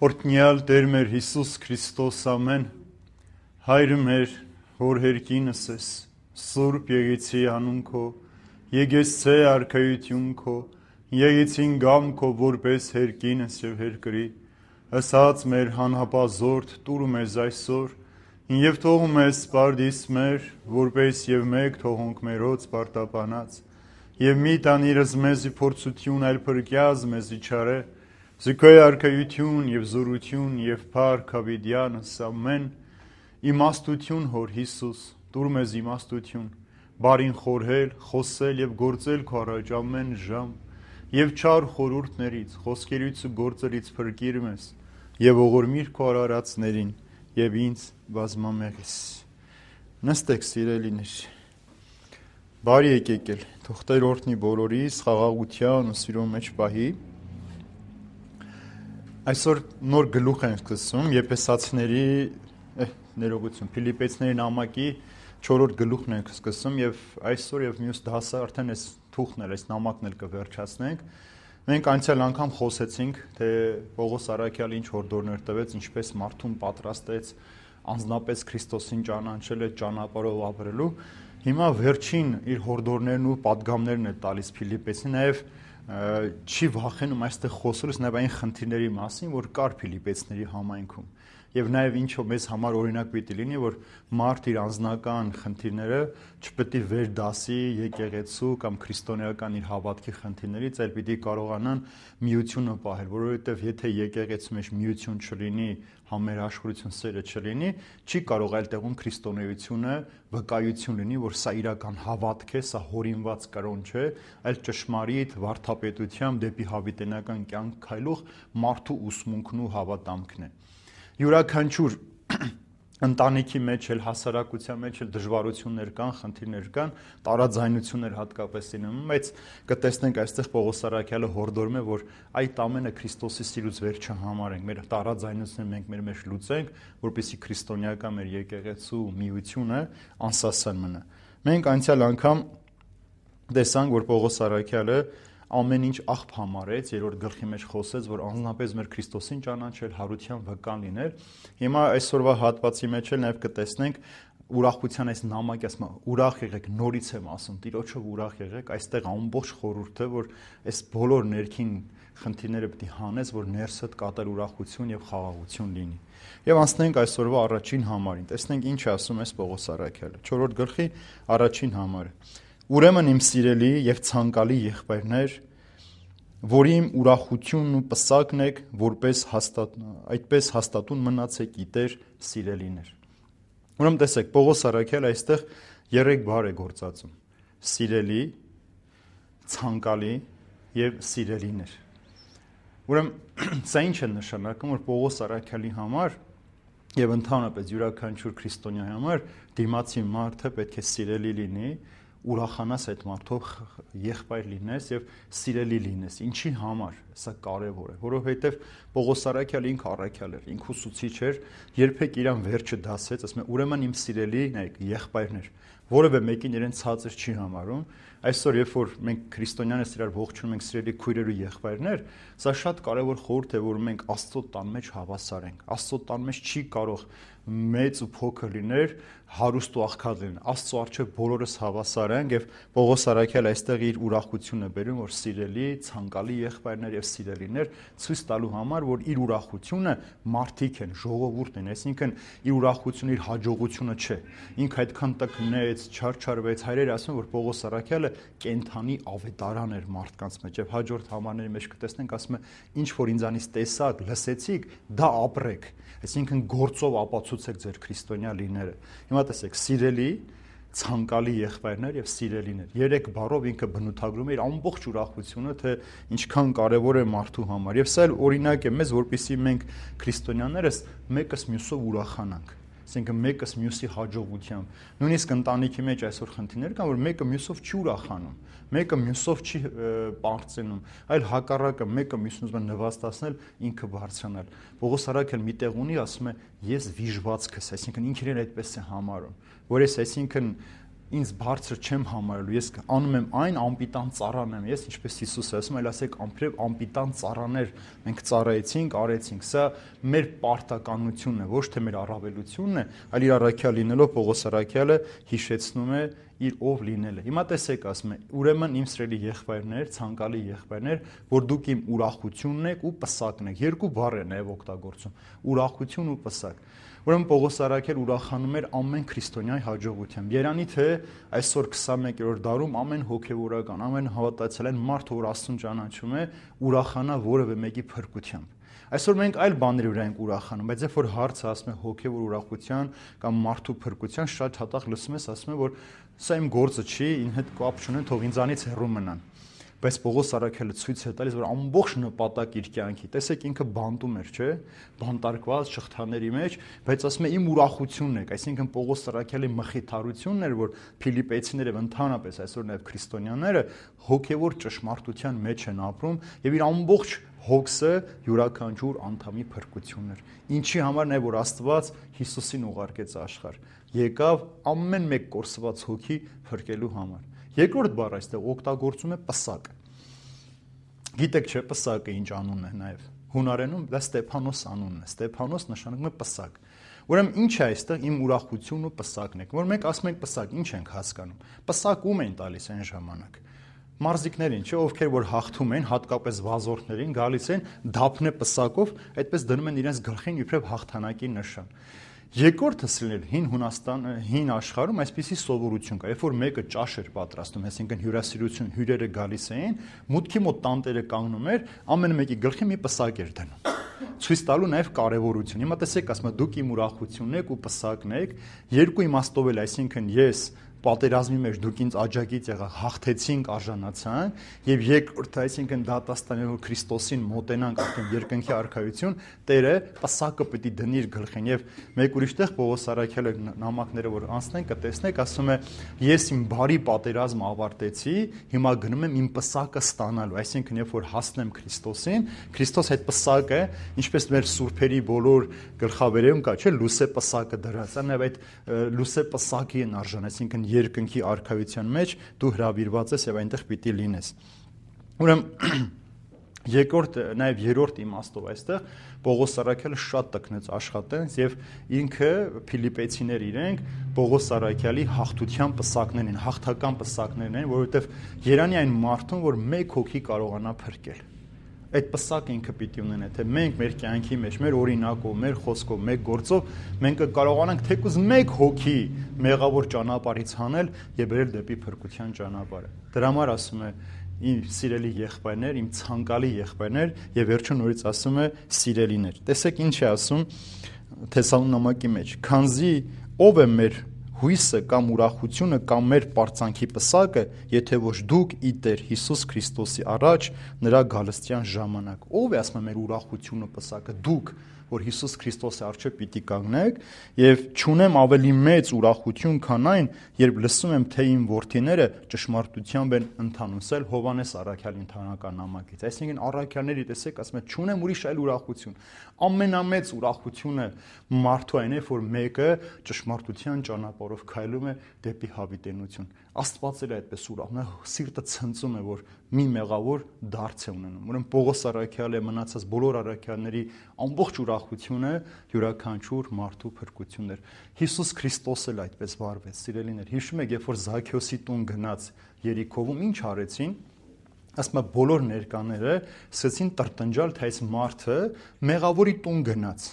Օրհնյալ Տեր մեր Հիսուս Քրիստոս ամեն, Հայր մեր, որ հերկինս ես, Սուրբ եկեցի անուն քո, եկեցե արքայություն քո, եկեցին գամ քո որպես հերկինս եւ հերկրի, ըսած մեր հանհապազորդ տուր մեզ այսօր, եւ թողում ես սպարդիս մեր, որպես եւ մեկ թողոնք մերոց պարտապանած, եւ մի տանիրս մեզի փորձություն այլ փրկյազ մեզի չարե, Զիքոյ արքայություն եւ զորություն եւ փառք հավիդյանս ամեն իմաստություն հոր Հիսուս տուր մեզ իմաստություն բարին խորհել խոսել եւ գործել քո առաջ ամեն ժամ եւ չար խորհուրդներից խոսքերից ու գործերից փրկիր մեզ եւ ողորմիր քո արարածներին եւ ինձ բազմամեղես նստեք սիրելիներ բարի եկեք թող Տեր օրհնի բոլորիս խաղաղության ու սիրո մեջ պահի Այսօր նոր գլուխ ենք սկսում Եփեսացիների ներողություն Փիլիպպեցիների նամակի 4-րդ գլուխն ենք սկսում եւ այսօր եւ մյուս դասը արդեն այս թուղթն էլ այս նամակն էլ կվերջացնենք Մենք անցյալ անգամ խոսեցինք թե Պողոս Արաքյալը ինչ հորդորներ տվեց ինչպես մարդուն պատրաստեց անձնապես Քրիստոսին ճանաչել այդ ճանապարհով ապրելու Հիմա վերջին իր հորդորներն ու պատգամներն է տալիս Փիլիպպեցին նաեւ չի վախենում այստեղ խոսելուց նաև այն խնդիրների մասին, որ կար Փիլիպպեցիների համայնքում եւ նաև ինչով մեզ համար օրինակ պիտի լինի, որ մարդ իր անձնական խնդիրները չպետք է վերդասի եկեղեցու կամ քրիստոնեական իր հավատքի խնդիրներից, այլ պիտի կարողանան միությունը պահել, որովհետեւ եթե եկեղեցու մեջ միություն չլինի, համերաշխություն սերը չլինի, չի կարող այլ տեղում քրիստոնեությունը վկայություն լինի, որ սա իրական հավատք է, սա հորինված կրոն չէ, այլ ճշմարիտ վարդապետությամբ դեպի հավիտենական կյանք քայլող մարդու ուսմունքն ու հավատամքն է։ Յուրաքանչյուր ընտանիքի մեջ էլ հասարակության մեջ էլ դժվարություններ կան, խնդիրներ կան, տարաձայնություններ հատկապես լինում, բայց կտեսնենք այստեղ Պողոս Արաքյալը հորդորում է, որ այդ ամենը Քրիստոսի սիրուց վեր չհամարենք, մեր տարաձայնությունները մենք մեր մեջ լուծենք, որպեսզի քրիստոնեական մեր եկեղեցու միությունը անսասան մնա։ Մենք անցյալ անգամ տեսանք, որ Պողոս Արաքյալը ամեն ինչ աղբ համարեց, երրորդ գլխի մեջ խոսեց, որ անձնապես մեր Քրիստոսին ճանաչել, հարության վկան լինել։ Հիմա այսօրվա հատվածի մեջ էլ նաև կտեսնենք ուրախության այս նամակի ասում, ուրախ եղեք, նորից եմ ասում, Տիրոջով ուրախ եղեք, այստեղ ամբողջ խորհուրդը, որ այս բոլոր ներքին խնդիրները պետք է հանես, որ ներսդ կատել ուրախություն եւ խաղաղություն լինի։ Եվ անցնենք այսօրվա առաջին համարին։ Տեսնենք ինչ ասում է Պողոս Արաքյալը։ 4-րդ գլխի առաջին համարը։ Ուրեմն իմ սիրելի եւ ցանկալի եղբայրներ, որի իմ ուրախությունն ու պսակն եք, որպես այդպես հաստատուն մնացեք իտեր սիրելիներ։ Ուրեմն տեսեք, Պողոս Արաքյալը այստեղ 3 բառ է գործածում. սիրելի, ցանկալի եւ սիրելիներ։ Ուրեմն սա ինչ է նշանակում, որ Պողոս Արաքյալի համար եւ ընդհանրապես յուրաքանչյուր քրիստոնյա համար դիմացի մարդը պետք է սիրելի լինի, ուրախանաս այդ մարդով եղբայր լինես եւ սիրելի լինես։ Ինչի համար սա կարեւոր է, որովհետեւ Պողոս Արաքյալը ինքը առաքյալ էր, ինքը ուսուցիչ էր, երբեք իրան վերջը դասեց, ասում է ուրեմն իմ սիրելի եղբայրներ, որևէ մեկին իրեն ցածր չի համարում։ Այսօր երբ որ մենք քրիստոնյաներս իրար ողջունում ենք սիրելի քույրեր ու եղբայրներ, սա շատ կարեւոր խորհուրդ է, որ մենք Աստծո տան մեջ հավասար ենք։ Աստծո տան մեջ չի կարող մեծ ու փոքր լիներ, հարուստ ու աղքատ լինել։ Աստծո առջև բոլորս հավասար ենք եւ Պողոս Արաքյալը այստեղ իր ուրախությունը բերում, որ սիրելի, ցանկալի եղբայրներ եւ սիրելիներ ցույց տալու համար, որ իր ուրախությունը մարդիկ են, ժողովուրդն են, այսինքն իր ուրախությունը իր հաջողությունը չէ։ Ինքը այդքան տկնեց, չարչարվեց, հայրերը ասում որ Պողոս Արաքյալը կենթանի ավետարան էր մարդկանց մեջ եւ հաջորդ համարների մեջ կտեսնենք ասում է ինչ որ ինձանից տեսակ, լսեցիք, դա ապրեք։ Այսինքն գործով ապացուցեք ձեր քրիստոնյա լինելը։ Հիմա տեսեք, սիրելի, ցանկալի եղբայրներ եւ սիրելիներ։ 3 բառով ինքը բնութագրում է իր ամբողջ ուրախությունը, թե ինչքան կարեւոր է մարդու համար։ Եվ սա օրինակ է մեզ, որպեսզի մենք քրիստոնյաներս մեկս մյուսով ուրախանանք։ Այսինքն մեկս մյուսի հաջողությամբ։ Նույնիսկ ընտանիքի մեջ այսօր խնդիրներ կան, որ մեկը մյուսով չի ուրախանում, մեկը մյուսով չի պարծենում, այլ հակառակը մեկը մյուսին ուզում է նվաստացնել, ինքը բարձրանալ։ Պողոս Արաքյալը մի տեղ ունի, ասում է՝ ես վիժվածքս, այսինքն ինքն իրեն այդպես է համարում, որ ես այսինքն ինձ բարձր չեմ համարելու, ես անում եմ այն, անպիտան ծառան եմ, ես ինչպես Հիսուսը ասում, այլ ասեք անպիտան ծառաներ մենք ծառայեցինք, արեցինք, սա մեր պարտականությունն է, ոչ թե մեր առավելությունն է, այլ իր առաքյալ լինելով Պողոս առաքյալը հիշեցնում է իր ով լինելը։ Հիմա տեսեք, ասում է, ուրեմն իմ սիրելի եղբայրներ, ցանկալի եղբայրներ, որ դուք իմ ուրախությունն եք ու պսակն եք։ Երկու բառ է նաև օգտագործում՝ ուրախություն ու պսակ։ Ուրեմն Պողոս առաքյալ ուրախանում էր ամեն քրիստոնյայի հաջողությամբ։ Երանի թե այսօր 21-րդ դարում ամեն հոգևորական, ամեն հավատացյալ մարդ, որ Աստծուն ճանաչում է, ուրախանա որևէ մեկի փրկությամբ։ Այսօր մենք այլ բաների վրա ենք ուրախանում, բայց երբ որ հարցը ասում է հոգևոր ուրախության կամ մարդու փրկության, շատ հատակ լսում ես, ասում է, որ սա իմ գործը չի, ինձ հետ կապ չունեն, թող ինձանից հեռու մնան։ Բայց Պողոս առաքյալը ցույց է տալիս, որ ամբողջ նպատակ իր կյանքի, տեսեք ինքը բանտում էր, չէ՞, բանտարկված շղթաների մեջ, բայց ասում է իմ ուրախությունն է, այսինքն Պողոս առաքյալի մխիթարությունն էր, որ Փիլիպպեցիները ընդհանրապես այսօր նաև քրիստոնյաները հոգևոր ճշմարտության մեջ են ապրում եւ իր ամբողջ հոգսը յուրաքանչյուր անդամի փրկությունն էր։ Ինչի համար նա որ Աստված Հիսուսին ուղարկեց աշխարհ, եկավ ամեն մեկ կորսված հոգի փրկելու համար։ Երկրորդ բառը այստեղ օգտագործում է պսակ։ Գիտեք չէ, պսակը ինչ անուն է նաև։ Հունարենում դա Ստեփանոս անունն է։ Ստեփանոս նշանակում է պսակ։ Ուրեմն ինչ է այստեղ իմ ուրախությունն ու պսակն է։ Որ մենք ասում ենք պսակ, ինչ ենք հասկանում։ Պսակ ում են տալիս այն ժամանակ։ Մարզիկներին, չէ, ովքեր որ հաղթում են, հատկապես վազորդներին, գալիս են դափնե պսակով, այդպես դնում են իրենց գլխին իբրև հաղթանակի նշան։ Երկրորդը սիրել հին աշխարհում այսպիսի սովորություն կա, երբ որ մեկը ճաշ էր պատրաստում, այսինքն հյուրասիրություն հյուրերը գալիս էին, մուտքի մոտ տանտերը կանգնում էր, ամեն մեկի գլխի մի պսակ էր դնում։ Ցույց տալու նաև կարևորություն։ Հիմա տեսեք, ասում եմ, դուք իմ ուրախությունն եք ու պսակն եք, երկու իմաստով էլ, այսինքն ես պատերազմի մեջ դուք ինձ աջակից եղաք, հաղթեցինք, արժանացանք, եւ երկրորդը, այսինքն դատաստանելով Քրիստոսին մոտենանք արդեն երկնքի արքայություն, Տերը պսակը պիտի դնի իր գլխին եւ մեկ ուրիշ տեղ Պողոս առաքյալը նամակները որ անցնեն կտեսնեք, ասում է ես իմ բարի պատերազմը ավարտեցի, հիմա գնում եմ իմ պսակը ստանալու, այսինքն երբ որ հասնեմ Քրիստոսին, Քրիստոս այդ պսակը, ինչպես մեր սուրբերի բոլոր գլխավերևում կա, չէ, լուսե պսակը դրած, նաեւ այդ լուսե պսակի են արժան, այսինքն երկնքի արքայության մեջ դու հրավիրված ես եւ այնտեղ պիտի լինես։ Ուրեմն երկրորդ նաեւ երրորդ իմաստով այստեղ Պողոս առաքյալը շատ տկնեց աշխատանց եւ ինքը Փիլիպպեցիներ իրենք Պողոս առաքյալի հաղթության պսակներն են, հաղթական պսակներն են, որովհետեւ երանի այն մարդուն, որ մեկ հոգի կարողանա փրկել։ Այդ պսակը ինքը պիտի ունենա, թե մենք մեր կյանքի մեջ, մեր օրինակով, մեր խոսքով, մեր գործով մենք կարողանանք թեկուզ մեկ հոգի մեղավոր ճանապարհից հանել եւ բերել դեպի փրկության ճանապարհը։ Դրա համար ասում է իմ սիրելի եղբայրներ, իմ ցանկալի եղբայրներ եւ վերջում նորից ասում է սիրելիներ։ Տեսեք ինչ է ասում Թեսաղոնիկի մեջ։ Քանզի ով է մեր հույսը կամ ուրախությունը կամ մեր պարծանքի պսակը, եթե ոչ դուք ի Տեր Հիսուս Քրիստոսի առաջ նրա գալստյան ժամանակ։ Ով է ասում մեր ուրախությունը պսակը, դուք, որ Հիսուս Քրիստոսի առջև պիտի կանգնեք, եւ չունեմ ավելի մեծ ուրախություն, քան այն, երբ լսում եմ, թե իմ որդիները ճշմարտությամբ են ընթանում։ Սա Հովհաննես առաքյալի ընթանական նամակից։ Այսինքն առաքյալների տեսեք, ասում է, չունեմ ուրիշ այլ ուրախություն։ Ամենամեծ ուրախությունը մարդու այն է, որ մեկը ճշմարտության ճանապարհով քայլում է դեպի հավիտենություն։ Աստված էլ այդպես ուրախ, նա սիրտը ցնծում է, որ մի մեղավոր դարձ է ունենում։ Ուրեմն Պողոս առաքյալը մնացած բոլոր առաքյալների ամբողջ ուրախությունը յուրաքանչյուր մարդու փրկությունն էր։ Հիսուս Քրիստոսը էլ այդպես վարվեց, սիրելիներ։ Հիշում եք, երբ որ Զաքեոսի տուն գնաց Երիքովում, ինչ արեցին։ Ասում է բոլոր ներկաները սկսեցին տրտնջալ, թե այս մարդը մեղավորի տուն գնաց։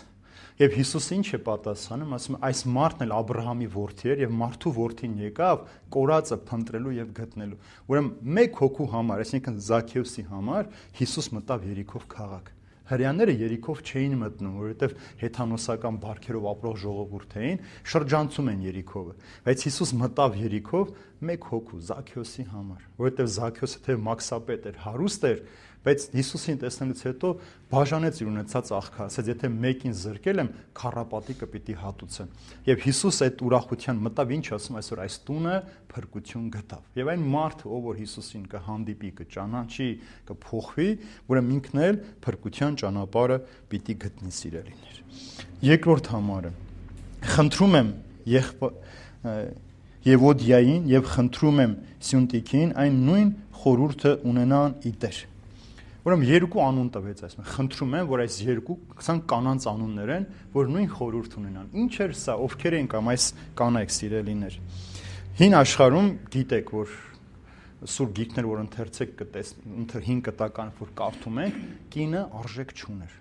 Եվ Հիսուսը ինչ է պատասխանում, ասում է այս մարդն էլ Աբրահամի որդի էր եւ մարդու որդին եկավ կորածը փնտրելու եւ գտնելու։ Ուրեմն մեկ հոգու համար, այսինքն Զաքեոսի համար Հիսուս մտավ Երիքով քաղաք։ Հրեաները Երիքով չէին մտնում, որովհետև հեթանոսական բարքերով ապրող ժողովուրդ էին, շրջանցում են Երիքովը։ Բայց Հիսուս մտավ Երիքով մեկ հոգու Զաքեոսի համար, որովհետև Զաքեոսը թե մաքսապետ էր, հարուստ էր, բայց Հիսուսին տեսնելուց հետո բաժանեց իր ունեցած աղքա, ասաց, եթե մեկին զրկել եմ, քառապատիկը պիտի հատուցեմ։ Եվ Հիսուս այդ ուրախության մտավ, ինչ ասում այսօր այս տունը փրկություն գտավ։ Եվ այն մարդը, ով որ Հիսուսին կհանդիպի, կճանաչի, կփոխվի, ուրեմն ինքն էլ փրկության ճանապարհը պիտի գտնի, սիրելիներ։ Երկրորդ համարը, խնդրում եմ Եվոդիային եւ խնդրում եմ Սյունտիկին այն նույն խորհուրդը ունենան իդեր։ Ուրեմն երկու անուն տվեց այսպես։ Խնդրում եմ, որ այս երկու ցան կանանց անուններ են, որ նույն խորհուրդ ունենան։ Ինչ էր սա, ովքեր են կամ այս կանայք սիրելիներ։ Հին աշխարհում գիտեք, որ սուր գիրքներ, որ ընթերցեք հին կտական, որ կարդում ենք, կինը արժեք չուներ։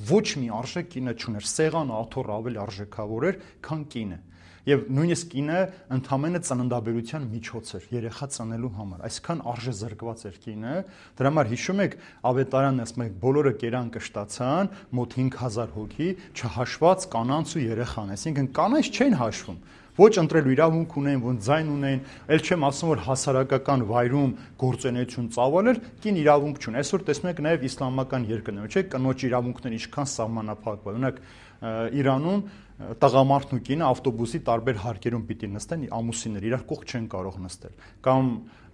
Ոչ մի արժեք կինը չուներ։ Սեղանը աթոռ ավելի արժեքավոր էր, քան կինը։ Եվ նույնիսկ կինը ընդհանրապես ծննդաբերության միջոց էր երեխա ծնելու համար։ Այսքան արժեզրկված էր կինը։ Դրա համար հիշում եք ավետարանն ասում եք բոլորը կերան կշտացան, մոտ 5000 հոգի, չհաշված կանանց ու երեխան, այսինքն կանայք չեն հաշվում։ Ոչ ընտրելու իրավունք ունեն, ոնց ձայն ունեն, ել չեմ ասում, որ հասարակական վայրում գործունեություն ծավալել, կին իրավունք չունեն։ Այսօր տեսնում եք նաև իսլամական երկրներում, չէ՞, կնոջ իրավունքները ինչքան սահմանափակված։ Օրինակ Իրանում տղամարդն ու կինը ավտոբուսի տարբեր հարկերում պիտի նստեն, ամուսիններ իրար կողք չեն կարող նստել։ Կամ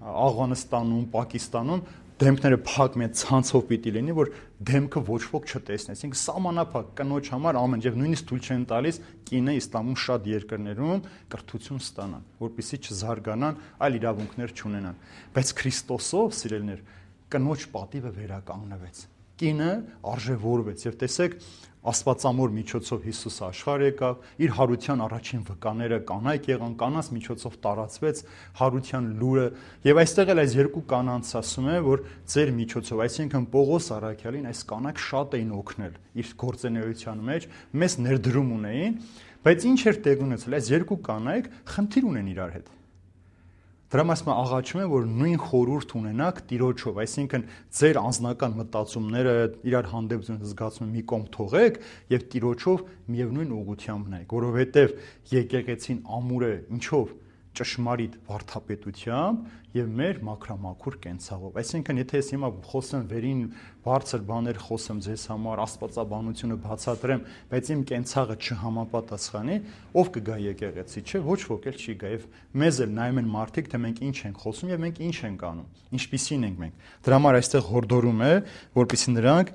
Աֆղանստանում, Պակիստանում դեմքները փակ մեծ ցանցով պիտի լինի, որ դեմքը ոչ ոք չտեսնի, այսինքն սահմանափակ կնոջ համար ամեն եւ նույնիսկ թույլ չեն տալիս կինը իսլամում շատ երկրներում կրթություն ստանան, որպեսզի չզարգանան, այլ իրավունքներ չունենան։ Բայց Քրիստոսով, սիրելիներ, կնոջ պատիվը վերականգնվեց։ Կինը արժևորվեց եւ տեսեք Աստվածամոր միջոցով Հիսուս աշխարհ եկավ, իր հարության առաջին վկաները կանայք եղան, կանանց միջոցով տարածվեց հարության լուրը, եւ այստեղ էլ այս երկու կանանց ասում է, որ ձեր միջոցով, այսինքն Պողոս Արաքյալին այս կանայք շատ էին օգնել իր գործունեության մեջ, մեծ ներդրում ունեին, բայց ինչ էր տեղ ունեցել, այս երկու կանայք խնդիր ունեն իրար հետ։ Դրա մասը աղաչում է, որ նույն խորհուրդ ունենաք Տիրոջով, այսինքն ձեր անձնական մտածումները իրար հանդեպ զգացում մի կողմ թողեք եւ Տիրոջով միևնույն ուղղությամբ նայեք, որովհետեւ եկեղեցին ամուր է ինչով ճշմարիտ վարդապետությամբ եւ մեր մաքրամաքուր կենցաղով։ Այսինքն, եթե ես հիմա խոսեմ վերին բարձր բաներ խոսեմ ձեզ համար, աստվածաբանությունը բացատրեմ, բայց իմ կենցաղը չհամապատասխանի, ով կգա եկեղեցի, չէ, ոչ ոք էլ չի գա եւ մեզ էլ նայում են մարդիկ, թե մենք ինչ ենք խոսում եւ մենք ինչ ենք անում, ինչպիսին ենք մենք։ Դրա համար այստեղ հորդորում է, որպեսզի նրանք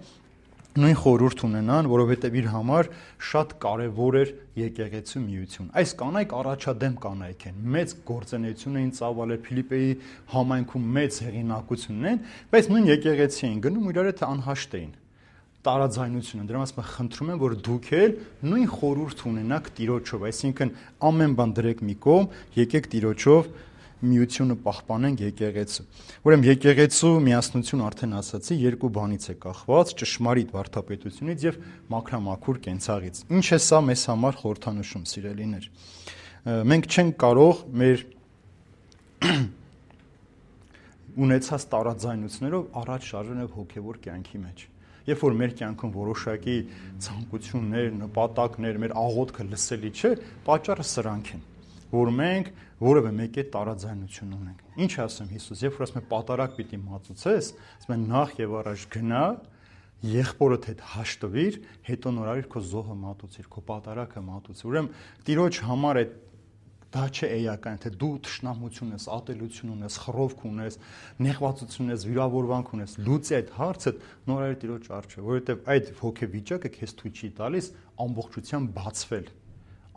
նույն խորհուրդ ունենան, որովհետև իր համար շատ կարևոր էր եկեղեցու միություն։ Այս կանայք առաջադեմ կանայք են, մեծ գործունեություն էին ծավալել, Ֆիլիպպեի համայնքում մեծ հեղինակություն ունեն, բայց նույն եկեղեցի են գնում իրար հետ անհաշտ էին։ Տարաձայնություն են, դրա համար խնդրում եմ, որ դուք էլ նույն խորհուրդ ունենաք Տիրոջով, այսինքն ամեն բան դրեք մի կողմ, եկեք Տիրոջով միությունը պահպանենք եկեղեցու։ Ուրեմն եկեղեցու միասնություն արդեն ասացի, երկու բանից է կախված՝ ճշմարիտ վարդապետությունից եւ մաքրամաքուր կենցաղից։ Ինչ է սա մեզ համար խորհրդանշում, սիրելիներ։ Մենք չենք կարող մեր ունեցած տարաձայնություններով առաջ շարժել հոգեվոր կյանքի մեջ։ Երբ որ մեր կյանքում որոշակի ցանկություններ, նպատակներ, մեր աղոթքը լսելի չէ, պատճառը սրանք են, որ մենք որևէ մեկի տարաձայնություն ունենք։ Ինչ ասում Հիսուս, երբ որ ասում է պատարակ պիտի մատուցես, ասում է նախ եւ առաջ գնա, եղբորդ հետ հաշտվիր, հետո նորարիր քո զոհը մատուցիր, քո պատարակը մատուցիր։ Ուրեմն Տիրոջ համար է դա չէ էական, թե դու թշնամություն ես, ատելություն ունես, խռովք ունես, նեղվածություն ունես, վիրավորանք ունես, լուծի այդ հարցը նորարիր Տիրոջ առջև, որովհետեւ այդ հոգեվիճակը քեզ թույլ չի տալիս ամբողջությամբ բացվել։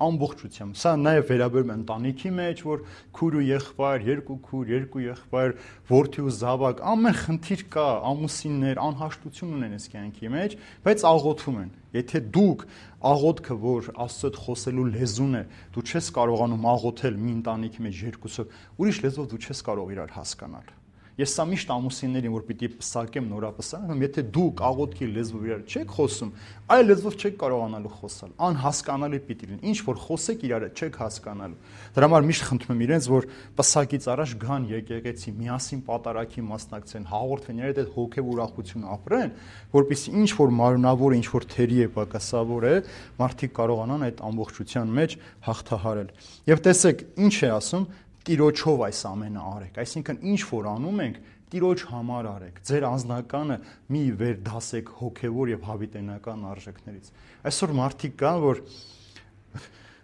Ամբողջությամբ։ Սա նաև վերաբերում է ընտանիքի մեջ, որ քույր ու եղբայր, երկու քույր, երկու եղբայր, որդի ու զավակ, ամեն խնդիր կա, ամուսիններ, անհաշտություն ունեն այս կյանքի մեջ, բայց աղոթում են։ Եթե դուք աղոթքը, որ Աստծո հետ խոսելու լեզուն է, դու չես կարողանում աղոթել մի ընտանիքի մեջ երկուսով, ուրիշ լեզվով դու չես կարող իրար հասկանալ։ Ես սա միշտ ամուսիններին, որ պիտի պսակեմ, նորապսակեմ, եթե դուք աղոթքի լեզվով իրար չեք խոսում, այլ լեզվով չեք կարողանալու խոսալ, անհասկանալի պիտի լինի, ինչ որ խոսեք իրար չեք հասկանալու։ Դրա համար միշտ խնդրում եմ իրենց, որ պսակից առաջ գան եկեղեցի, միասին պատարակի մասնակցեն, հաղորդեն իրար հետ հոգև ուրախություն ապրեն, որպեսզի ինչ որ մարմնավոր, ինչ որ թերի է պակասավոր է, մարդիկ կարողանան այդ ամբողջության մեջ հաղթահարել։ Եվ տեսեք, ինչ է ասում, Տիրոջով այս ամենը արեք, այսինքն ինչ որ անում ենք, Տիրոջ համար արեք, ձեր անձնականը մի վերդասեք հոգևոր եւ հավիտենական արժեքներից։ Այսօր մարդիկ կան, որ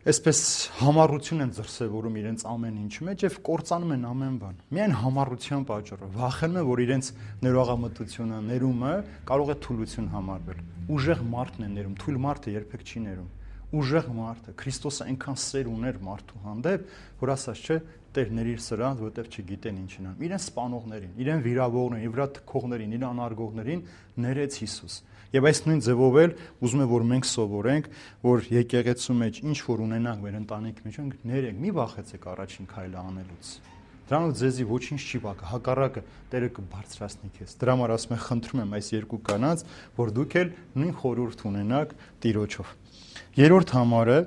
այսպես համառություն են դրսևորում իրենց ամեն ինչի մեջ եւ կործանում են ամեն բան։ Միայն համառության պատճառով վախենում են, որ իրենց ներողամտությունը, ներումը կարող է թուլություն համարվել։ Ուժեղ մարդն է ներում, թույլ մարդը երբեք չի ներում։ ուժեղ մարդ է, Քրիստոսը այնքան սեր ուներ մարդու հանդեպ, որ ասաց չէ, Տեր ներիր սրանց, որովհետև չգիտեն ինչին ան։ Իրեն սպանողներին, իրեն վիրավորներին, վրա թքողներին, իրեն անարգողներին ներեց Հիսուս։ Եվ այս նույն ձևով էլ ուզում եմ, որ մենք սովորենք, որ եկեղեցու մեջ ինչ որ ունենանք մեր ընտանիքի մեջ, ներենք, մի վախեցեք առաջին քայլը անելուց։ Դրանով ձեզի ոչինչ չի բակա, հակառակը Տերը կբարձրացնի քեզ։ Դրա համար ասում եմ, խնդրում եմ այս երկու կանանց, որ դուք էլ նույն խորհուրդ ունենաք Տիրոջով։ Երրորդ համարը,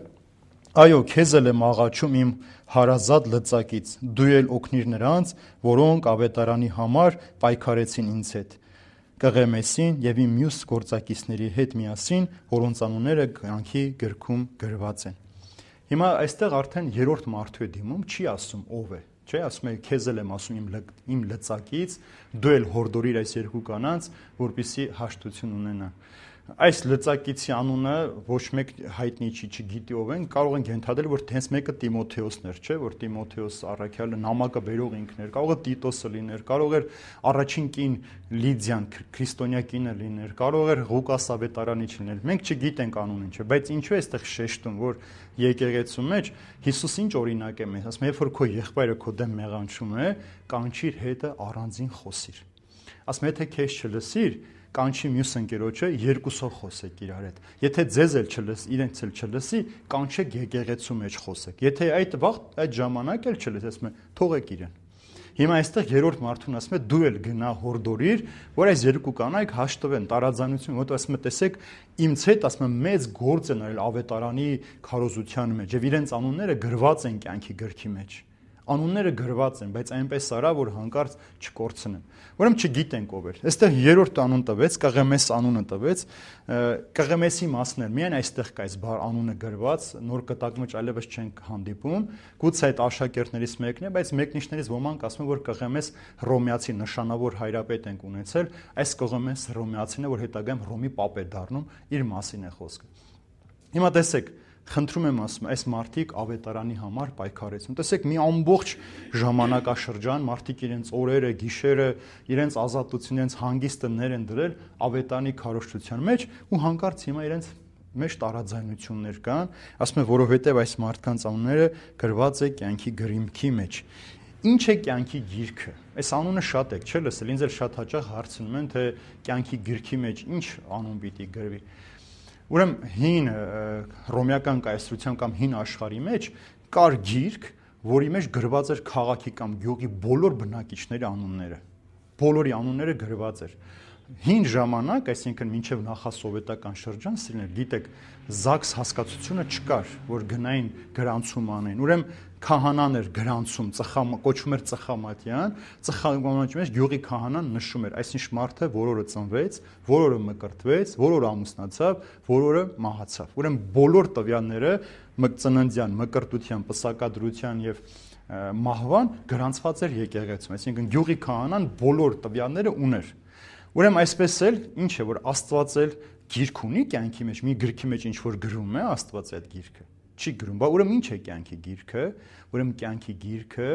այո, քեզ էլ եմ աղաչում իմ հարազատ լծակից, դու էլ օգնիր նրանց, որոնք ավետարանի համար պայքարեցին ինձ հետ, Կղեմեսին եւ իմ մյուս գործակիցների հետ միասին, որոնց անունները կյանքի գրքում գրված են։ Հիմա այստեղ արդեն երրորդ մարդու է դիմում, չի ասում ով է, չէ, ասում է քեզ էլ եմ ասում իմ լծակից, դու էլ հորդորիր այս երկու կանանց, որպեսզի հաշտություն ունենան։ Այս լծակիցի անունը ոչ մեկ հայտնի չի, չգիտի ով են, կարող ենք ենթադրել, որ հենց մեկը Տիմոթեոսն էր, չէ, որ Տիմոթեոս առաքյալը նամակը բերող ինքն էր, կարող է Տիտոսը լիներ, կարող էր առաջին կին Լիդիան, քրիստոնյա կինը լիներ, կարող էր Ղուկաս ավետարանիչ լինել։ Մենք չգիտենք անունը, չէ, բայց ինչու է այստեղ շեշտում, որ եկեղեցու մեջ Հիսուս ինչ օրինակ է մեզ, ասում է, երբ որ քո եղբայրը քո դեմ մեղանչում է, կանչիր հետը առանձին խոսիր։ Ասում է, եթե քեզ չլսիր, կանչի մյուս ընկերոջը, երկուսով խոսեք իրար հետ։ Եթե ձեզ էլ չլսի, իրենց էլ չլսի, կանչեք եկեղեցու մեջ խոսեք։ Եթե այդ ժամանակ էլ չլսի, ասում է, թողեք իրեն։ Հիմա այստեղ երրորդ մարդուն ասում է, դու էլ գնա հորդորիր, որ այս երկու կանայք հաշտվեն, տարաձայնություն, որտեղ ասում է, տեսեք, ինձ հետ ասում է մեծ գործ են արել ավետարանի քարոզության մեջ, եւ իրենց անունները գրված են կյանքի գրքի մեջ։ Անունները գրված են, բայց այնպես արա, որ հանկարծ չկորցնեն։ Ուրեմն չգիտենք ով էր։ Այստեղ երրորդ անուն տվեց, Կղեմես անունը տվեց։ Կղեմեսի մասն էր, միայն այստեղ կա այս անունը գրված, նոր կտակում մեջ այլևս չենք հանդիպում։ Գուցե այդ աշակերտներից մեկն է, բայց մեկնիշներից ոմանք ասում են, որ Կղեմես Հռոմեացի նշանավոր հայրապետ ենք ունեցել, այս Կղեմես Հռոմեացին է, որ հետագայում Հռոմի պապ է դառնում, իր մասին է խոսքը։ Հիմա տեսեք, խնդրում եմ ասում, այս մարդիկ ավետարանի համար պայքարեցին։ Տեսեք, մի ամբողջ ժամանակաշրջան մարդիկ իրենց օրերը, գիշերը, իրենց ազատություն, իրենց հանգիստը ներ են դրել ավետարանի քարոզչության մեջ ու հանկարծ հիմա իրենց մեջ տարաձայնություններ կան, ասում են, որովհետև այս մարդկանց անունները գրված է կյանքի գրիմքի մեջ։ Ինչ է կյանքի գիրքը։ Այս անունը շատ եք, չէ՞ լսել, ինձ էլ շատ հաճախ հարցնում են, թե կյանքի գրքի մեջ ինչ անուն պիտի գրվի։ Ուրեմն հին հռոմեական կայսրության կամ հին աշխարհի մեջ կար գիրք, որի մեջ գրված էր քաղաքի կամ գյուղի բոլոր բնակիչների անունները։ Բոլորի անունները գրված էր։ Հին ժամանակ, այսինքն մինչև նախասովետական շրջան, սիրներ, գիտեք, ԶԱԳՍ հասկացությունը չկար, որ գնային գրանցում անեն։ Ուրեմն քահանան էր գրանցում, կոչվում էր ծխամատյան, ծխամատի մեջ գյուղի քահանան նշում էր, այսինչ մարդը որ օրը ծնվեց, որ օրը մկրտվեց, որ օրը ամուսնացավ, որ օրը մահացավ։ Ուրեմն բոլոր տվյալները ծննդյան, մկրտության, պսակադրության եւ մահվան գրանցված էր եկեղեցում, այսինքն գյուղի քահանան բոլոր տվյալները ուներ։ Ուրեմն այսպես էլ ինչ է, որ Աստված էլ գիրք ունի կյանքի մեջ, մի գրքի մեջ ինչ որ գրում է Աստված այդ գիրքը։ Չի գրում, բա ուրեմն ինչ է կյանքի գիրքը, ուրեմն կյանքի գիրքը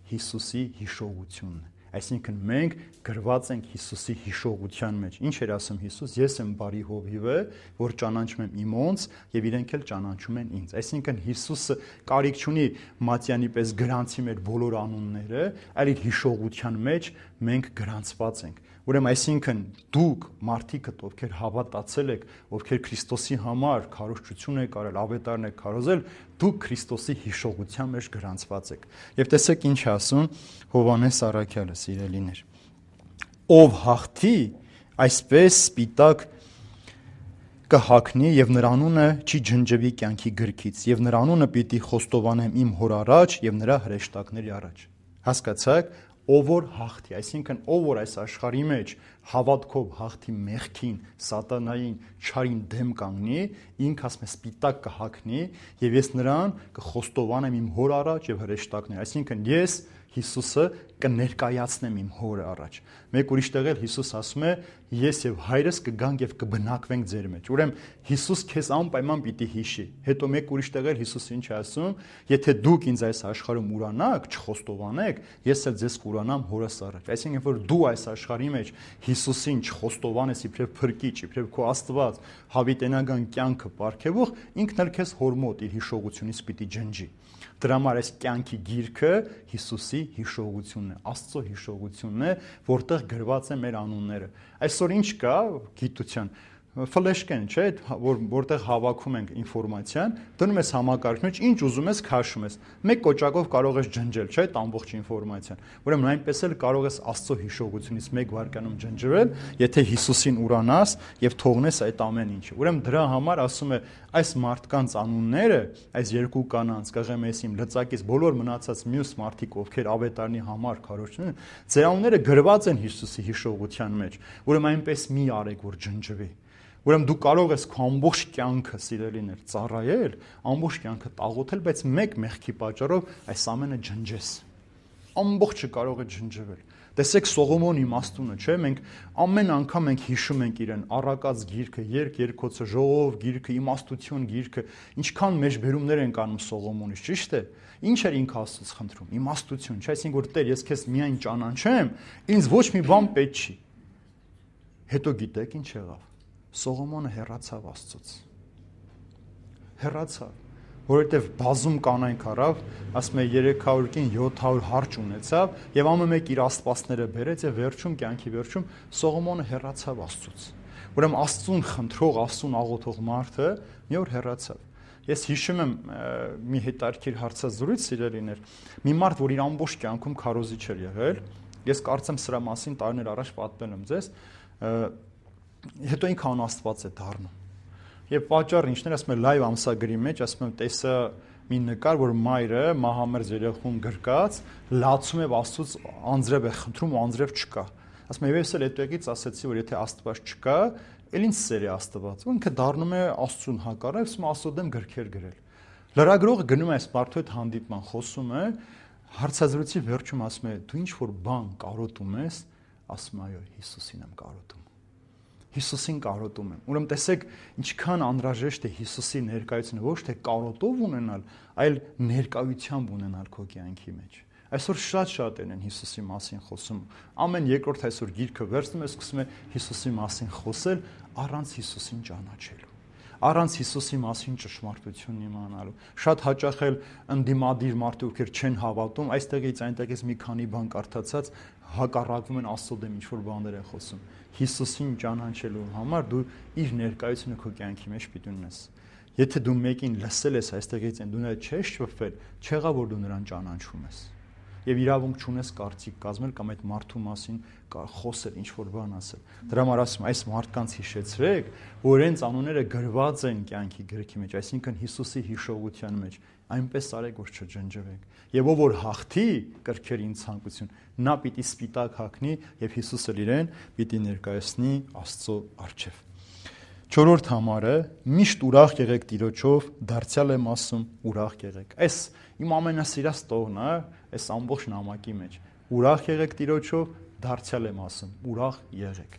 Հիսուսի հիշողությունն է, այսինքն մենք գրված ենք Հիսուսի հիշողության մեջ։ Ինչ էր ասում Հիսուս, ես եմ բարի հովիվը, որ ճանաչում եմ իմոնց եւ իրենք էլ ճանաչում են ինձ։ Այսինքն Հիսուսը կարիք չունի Մատյանի պես գրանցի մեր բոլոր անունները, այլ իր հիշողության մեջ մենք գրանցված ենք։ Ուրեմն այսինքն դուք մարդիկդ, ովքեր հավատացել եք, ովքեր Քրիստոսի համար քարոզչություն եք արել, ավետարն եք քարոզել, դուք Քրիստոսի հիշողության մեջ գրանցված եք։ Եվ տեսեք ինչ ասում Հովհաննես առաքյալը, սիրելիներ։ Ով հաղթի, այսպես սպիտակ կհագնի եւ նրա անունը չի ջնջվի կյանքի գրքից եւ նրա անունը պիտի խոստովանեմ իմ հոր առաջ եւ նրա հրեշտակների առաջ։ Հասկացաք, ով որ հաղթի, այսինքն ով որ այս աշխարհի մեջ հավատքով հաղթի մեղքին, սատանային, չարին դեմ կանգնի, ինքը ասում է սպիտակ կհագնի եւ ես նրան կխոստովանեմ իմ հոր առաջ եւ հրեշտակներ, այսինքն ես Հիսուսը կներկայացնեմ իմ հորը առաջ։ Մեկ ուրիշ տեղ էլ Հիսուս ասում է, ես եւ հայրս կգանք եւ կբնակվենք ձեր մեջ։ Ուրեմն Հիսուս քեզ անպայման պիտի հիշի։ Հետո մեկ ուրիշ տեղ էլ Հիսուս ինչ է ասում, եթե դուք ինձ այս աշխարհում ուրանաք, չխոստովանեք, ես էլ ձեզ կուրանամ հորս առաջ։ Այսինքն որ դու այս աշխարհի մեջ Հիսուսին չխոստովանես իբրև փրկիչ, իբրև քո Աստված, հավիտենական կյանքը ապարգևող, ինքն էլ քեզ հոր մոտ իր հիշողությունից պիտի ջնջի։ Դրա համար այս կյանքի գիրքը Հիսուսի հիշողությունն է, Աստծո հիշողությունն է, որտեղ գրված է մեր անունները։ Այսօր ինչ կա գիտության ֆլեշկեն, չէ, որտեղ հավաքում ենք ինֆորմացիան, դնում ես համակարգի մեջ, ինչ ուզում ես քաշում ես։ Մեկ կոճակով կարող ես ջնջել, չէ, այդ ամբողջ ինֆորմացիան։ Ուրեմն այնպես էլ կարող ես Աստծո հիշողությունից մեկ վայրկյանում ջնջվել, եթե Հիսուսին ուրանաս եւ թողնես այդ ամեն ինչը։ Ուրեմն դրա համար ասում է այս մարդկանց անունները, այս երկու կանանց, Կղեմեսիմ, Լծակից, բոլոր մնացած մյուս մարդիկ, ովքեր ավետարանի համար քարոզություն են, ձեր անունները գրված են Հիսուսի հիշողության մեջ։ Ուրեմն այնպես մի արեք, որ ջնջվի։ Ուրեմն դու կարող ես քո ամբողջ կյանքը սիրելիներ ծառայել, ամբողջ կյանքը տաղոթել, բայց մեկ մեղքի պատճառով այս ամենը ջնջես։ Ամբողջը կարող է ջնջվել։ Տեսեք Սողոմոնի իմաստունը, չէ՞, մենք ամեն անգամ հիշում ենք իրեն առակած գիրքը, երկոցը, ժողով գիրքը, իմաստություն գիրքը, ինչքան մեջբերումներ ենք անում Սողոմոնից, ճիշտ է։ Ինչ էր ինքը Աստծուց խնդրում։ Իմաստություն, չէ՞, այսինքն որ Տեր, ես քեզ միայն ճանաչեմ, ինձ ոչ մի բան պետք չի։ Հետո գիտեք ինչ եղավ։ Սողոմոնը հեռացավ Աստծուց։ Հեռացավ, որովհետև բազում կանայք առավ, ասում է 300 կին 700 հարճ ունեցավ եւ ամեն մեկ իր աստվածները բերեց եւ վերջում կյանքի վերջում Սողոմոնը հեռացավ Աստծուց։ Ուրեմն Աստծուն խնդրող, Աստծուն աղոթող մարդը մի օր հեռացավ։ Ես հիշում եմ մի հետարքիր հարցազրույց սիրելիներ, մի մարդ, որ իր ամբողջ կյանքում քարոզիչ էր եղել, ես կարծեմ սրա մասին տարիներ առաջ պատմել եմ ձեզ, հետո ինքը անաստված է դառնում։ Եվ պատճառը ինչն էր, ասում եմ լայվ ամսագրի մեջ, ասում եմ տեսա մի նկար, որ մայրը մահամերձ երեխուն գրկած, լացում է Աստծուց անձրև է խնդրում ու անձրև չկա։ Ասում եմ եւ ես էլ հետոքից ասացի, որ եթե Աստված չկա, էլ ինչ սեր է Աստված։ Ու ինքը դառնում է Աստծուն հակառակ, ասում Աստծո դեմ գրքեր գրել։ Լրագրողը գնում է այս մարդու հետ հանդիպման, խոսում է, հարցազրույցի վերջում ասում է դու ինչ որ բան կարոտում ես, ասում այո, Հիսուսին եմ կարոտում։ Հիսուսին կարոտում եմ։ Ուրեմն տեսեք, ինչքան անհրաժեշտ է Հիսուսի ներկայությունը ոչ թե կարոտով ունենալ, այլ ներկայությամբ ունենալ քո կյանքի մեջ։ Այսօր շատ են Հիսուսի մասին խոսում։ Ամեն երկրորդ այսօր գիրքը վերցնում է, սկսում է Հիսուսի մասին խոսել առանց Հիսուսին ճանաչելու, առանց Հիսուսի մասին ճշմարտությունն իմանալու։ Շատ հաճախ էլ ընդդիմադիր մարդիկ, ովքեր չեն հավատում, այստեղից այնտեղից մի քանի բան կարդացած հակառակվում են Աստծո դեմ, ինչ որ բաներ են խոսում։ Հիսուսին ճանաչելու համար դու իր ներկայությունը քո կյանքի մեջ պիտի ունես։ Եթե դու մեկին լսել ես այստեղից այն, դու նա չես շփվել, չեղա որ դու նրան ճանաչում ես։ Եվ իրավունք չունես կարծիք կազմել կամ այդ մարդու մասին խոսել, ինչ որ բան ասել։ Դրա համար ասում այս մարդկանց հիշեցրեք, որ իրենց անունները գրված են կյանքի գրքի մեջ, այսինքն Հիսուսի հիշողության մեջ, այնպես արեք, որ չջնջվեք։ Եվ ով որ հաղթի կրքերին ցանկություն, նա պիտի սպիտակ հագնի եւ Հիսուսը իրեն պիտի ներկայացնի Աստծո առջև։ Չորրորդ համարը միշտ ուրախ եղեք Տիրոջով, դարձյալ եմ ասում, ուրախ եղեք։ Այս իմ ամենասիրած տողն է, այս ամբողջ նամակի մեջ։ Ուրախ եղեք Տիրոջով, դարձյալ եմ ասում, ուրախ եղեք։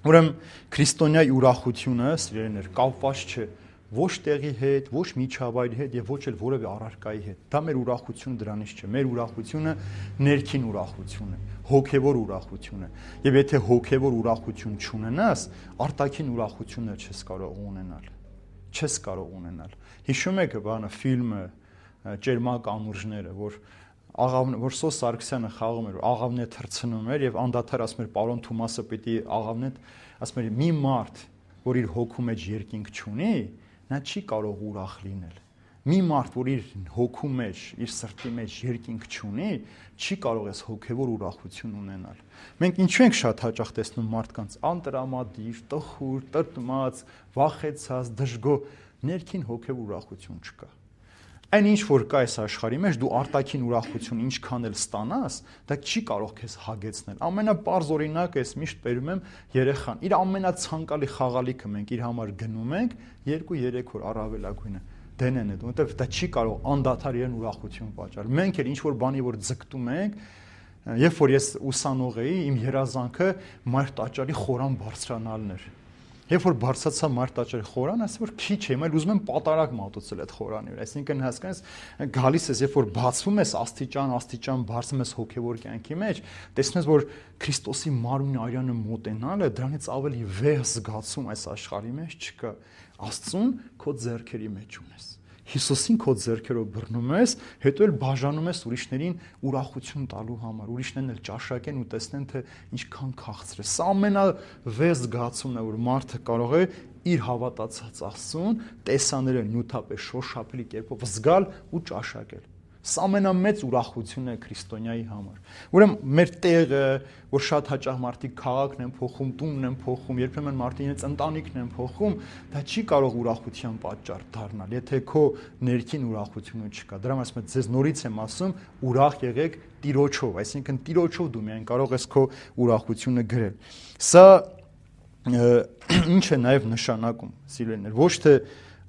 Ուրեմն քրիստոնյայի ուրախությունը, սիրելիներ, կապված չէ ոչ տեղի հետ, ոչ միջավայրի հետ եւ ոչ էլ որևէ առարկայի հետ։ Դա մեր ուրախությունը դրանից չէ։ Մեր ուրախությունը ներքին ուրախություն է, հոգեվոր ուրախություն է։ Եվ եթե հոգեվոր ուրախություն չունենաս, արտաքին ուրախությունը չես կարող ունենալ։ Չես կարող ունենալ։ Հիշում եք բանը ֆիլմը Ճերմակ անուրջները, որ Սոս Սարգսյանը խաղում էր, աղավն է թռցնում էր եւ անդադար ասում էր պարոն Թումասը պիտի աղավն է, ասում էր մի մարդ, որ իր հոգու մեջ երկինք չունի, նա չի կարող ուրախ լինել։ Մի մարդ, որ իր հոգու մեջ, իր սրտի մեջ երկինք չունի, չի կարող այս հոգևոր ուրախություն ունենալ։ Մենք ինչու ենք շատ հաճախ տեսնում մարդկանց անտրամադիր, տխուր, տրտմած, վախեցած, դժգոհ, ներքին հոգևոր ուրախություն չկա։ Այն ինչ որ կա այս աշխարհի մեջ, դու արտաքին ուրախություն ինչքան էլ ստանաս, դա չի կարող քեզ հագեցնել։ Ամենապարզ օրինակը ես միշտ բերում եմ երեխան։ Իր ամենացանկալի խաղալիքը մենք իր համար գնում ենք 2-3 օր առավելագույնը դենեն է, որովհետև դա չի կարող անդադար իրեն ուրախություն պատճառել։ Մենք էլ ինչ որ բանի որ ձգտում ենք, երբ որ ես ուսանող էի, իմ երազանքը մայր տաճարի խորան բարձրանալն էր։ Երբ որ բարձրացա մարդ աճեր խորան, ասա որ քիչ եմ, այլ ուզում եմ պատարակ մատուցել այդ խորանի վրա։ Այսինքն հասկանես, գալիս ես, երբ որ բացվում ես աստիճան բարձում ես հոգևոր կյանքի մեջ, տեսնում ես, որ Քրիստոսի մարմնի արյանը մոտենալը դրանից ավելի վեհ զգացում այս աշխարհի մեջ չկա։ Աստծուն քո ձեռքերի մեջ ունես։ Հիսուսին քո ձեռքերով բռնում ես, հետո էլ բաժանում ես ուրիշներին ուրախություն տալու համար, ուրիշներն էլ ճաշակեն ու տեսնեն, թե ինչքան քաղցր է։ Սա ամենավեհ զգացումն է, որ մարդը կարող է իր հավատացած Աստծուն տեսաները նյութապես շոշափելի կերպով զգալ ու ճաշակել։ Սա ամենամեծ ուրախությունն է քրիստոնյայի համար։ Ուրեմն մեր տեղը, որ շատ հաճախ մարդիկ քաղաքն են փոխում, տունն են փոխում, երբեմն մարդիկ իրենց ընտանիքն են փոխում, դա չի կարող ուրախության պատճառ դառնալ, եթե քո ներքին ուրախությունը չկա։ Դրա համար ասում եմ, ձեզ նորից եմ ասում, ուրախ եղեք Տիրոջով, այսինքն Տիրոջով դու միայն կարող ես քո ուրախությունը գրել։ Սա ինչ է նաև նշանակում, սիրելիներ, ոչ թե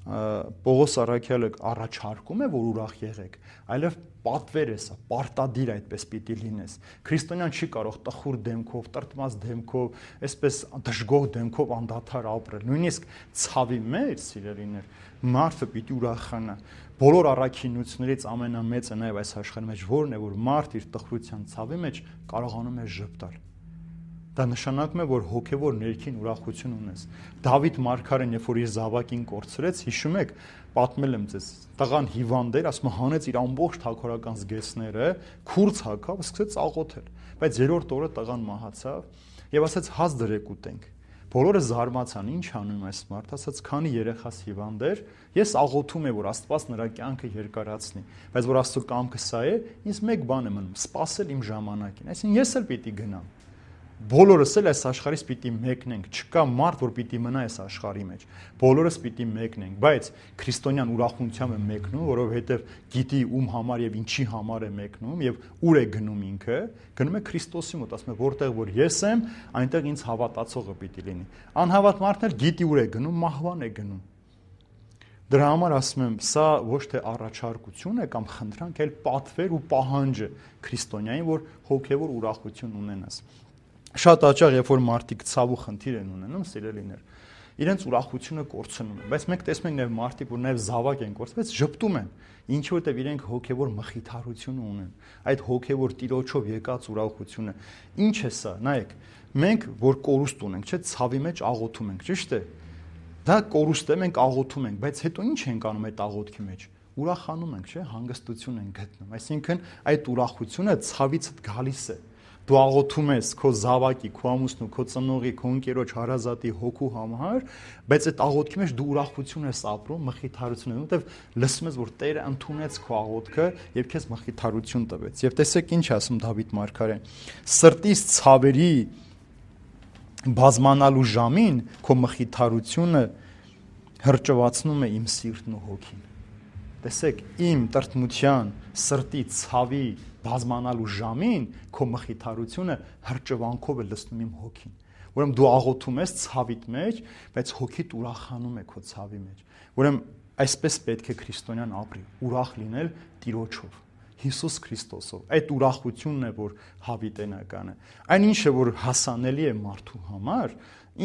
Պողոս առաքյալը առաջարկում է, որ ուրախ եղեք, այլև պատվեր է սա, պարտադիր այդպես պիտի լինես։ Քրիստոնյան չի կարող տխուր դեմքով, տրտմած դեմքով, այսպես դժգոհ դեմքով անդադար ապրել։ Նույնիսկ ցավի մեջ, սիրելիներ, մարդը պիտի ուրախանա։ Բոլոր առաքինություններից ամենամեծը նաև այս աշխարհի մեջ որն է, որ մարդ իր տխրության ցավի մեջ կարողանում է ժպտալ։ Դա նշանակում է, որ հոգևոր ներքին ուրախություն ունես։ Դավիթ մարգարեն, երբ որ իր զավակին կորցրեց, հիշում եք, պատմել եմ ձեզ, տղան հիվանդ էր, ասում հանեց իր ամբողջ թագավորական զգեստները, քուրձ հագավ, սկսեց աղոթել։ Բայց երրորդ օրը տղան մահացավ եւ ասաց հաց դրեք ուտենք։ Բոլորը զարմացան, ինչ անում այս մարդը, ասաց քանի երեխաս հիվանդ էր, ես աղոթում եմ, որ Աստված նրա կյանքը երկարացնի, բայց որ Աստծո կամքը սա է, ինձ մեկ բան է մնում, սպասել իմ ժամանակին։ Այսինքն ես էլ պիտի գնամ։ Բոլորս էլ այս աշխարհից պիտի մեկնենք, չկա մարդ, որ պիտի մնա այս աշխարհի մեջ։ Բոլորս պիտի մեկնենք, բայց քրիստոնյան ուրախությամբ է մեկնում, որովհետև գիտի ում համար եւ ինչի համար է մեկնում եւ ուր է գնում ինքը, գնում է Քրիստոսի մոտ, ասում է որտեղ որ ես եմ, այնտեղ ինձ հավատացողը պիտի լինի։ Անհավատ մարդն էլ գիտի ուր է գնում, մահվան է գնում։ Դրա համար ասում եմ, սա ոչ թե առաջարկություն է կամ խնդրանք, այլ պատվեր ու պահանջ է քրիստոնյային, որ հոգեվոր ուրախություն ունենաս։ Շատ հաճախ, երբ որ մարդիկ ցավ ու խնդիր են ունենում, սիրելիներ, իրենց ուրախությունը կորցնում են, բայց մենք տեսնում ենք նաև մարդիկ, որ նաև զավակ են կորցրել, ժպտում են, ինչ որտեվ իրենք հոգևոր մխիթարություն ունեն, այդ հոգևոր Տիրոջով եկած ուրախությունը։ Ինչ է սա, նայեք, մենք որ կորուստ ունենք, չէ՞, ցավի մեջ աղոթում ենք, ճիշտ է։ Դա կորուստ է, մենք աղոթում ենք, բայց հետո ինչ ենք անում այդ աղոթքի մեջ։ Ուրախանում ենք, չէ՞, հանգստություն ենք գտնում։ Այսինքն այդ ուրախությունը ցավից գալիս է։ Դու աղոթում ես քո զավակի, քո ամուսնու, քո ծնողի, քո ընկերոջ հարազատի հոգու համար, բայց այդ աղոթքի մեջ դու ուրախություն ես ապրում, մխիթարություն, որովհետև լսում ես, որ Տերը ընդունեց քո աղոթքը եւ քեզ մխիթարություն տվեց։ Եվ տեսեք ինչ ասում Դավիթ մարգարեն. սրտիս ցավերի բազմանալու ժամին քո մխիթարությունը հրճվացնում է իմ սիրտն ու հոգին։ Տեսեք, իմ տրտմության, սրտի ցավի բազմանալու ժամին քո մխիթարությունը հրճվանքով է լցնում իմ հոգին։ Ուրեմն դու աղոթում ես ցավիդ մեջ, բայց հոգիդ ուրախանում է քո ցավի մեջ։ Ուրեմն այսպես պետք է քրիստոնյան ապրի, ուրախ լինել Տիրոջով, Հիսուս Քրիստոսով։ Այդ ուրախությունն է, որ հավիտենական է։ Այն ինչը որ հասանելի է մարդու համար,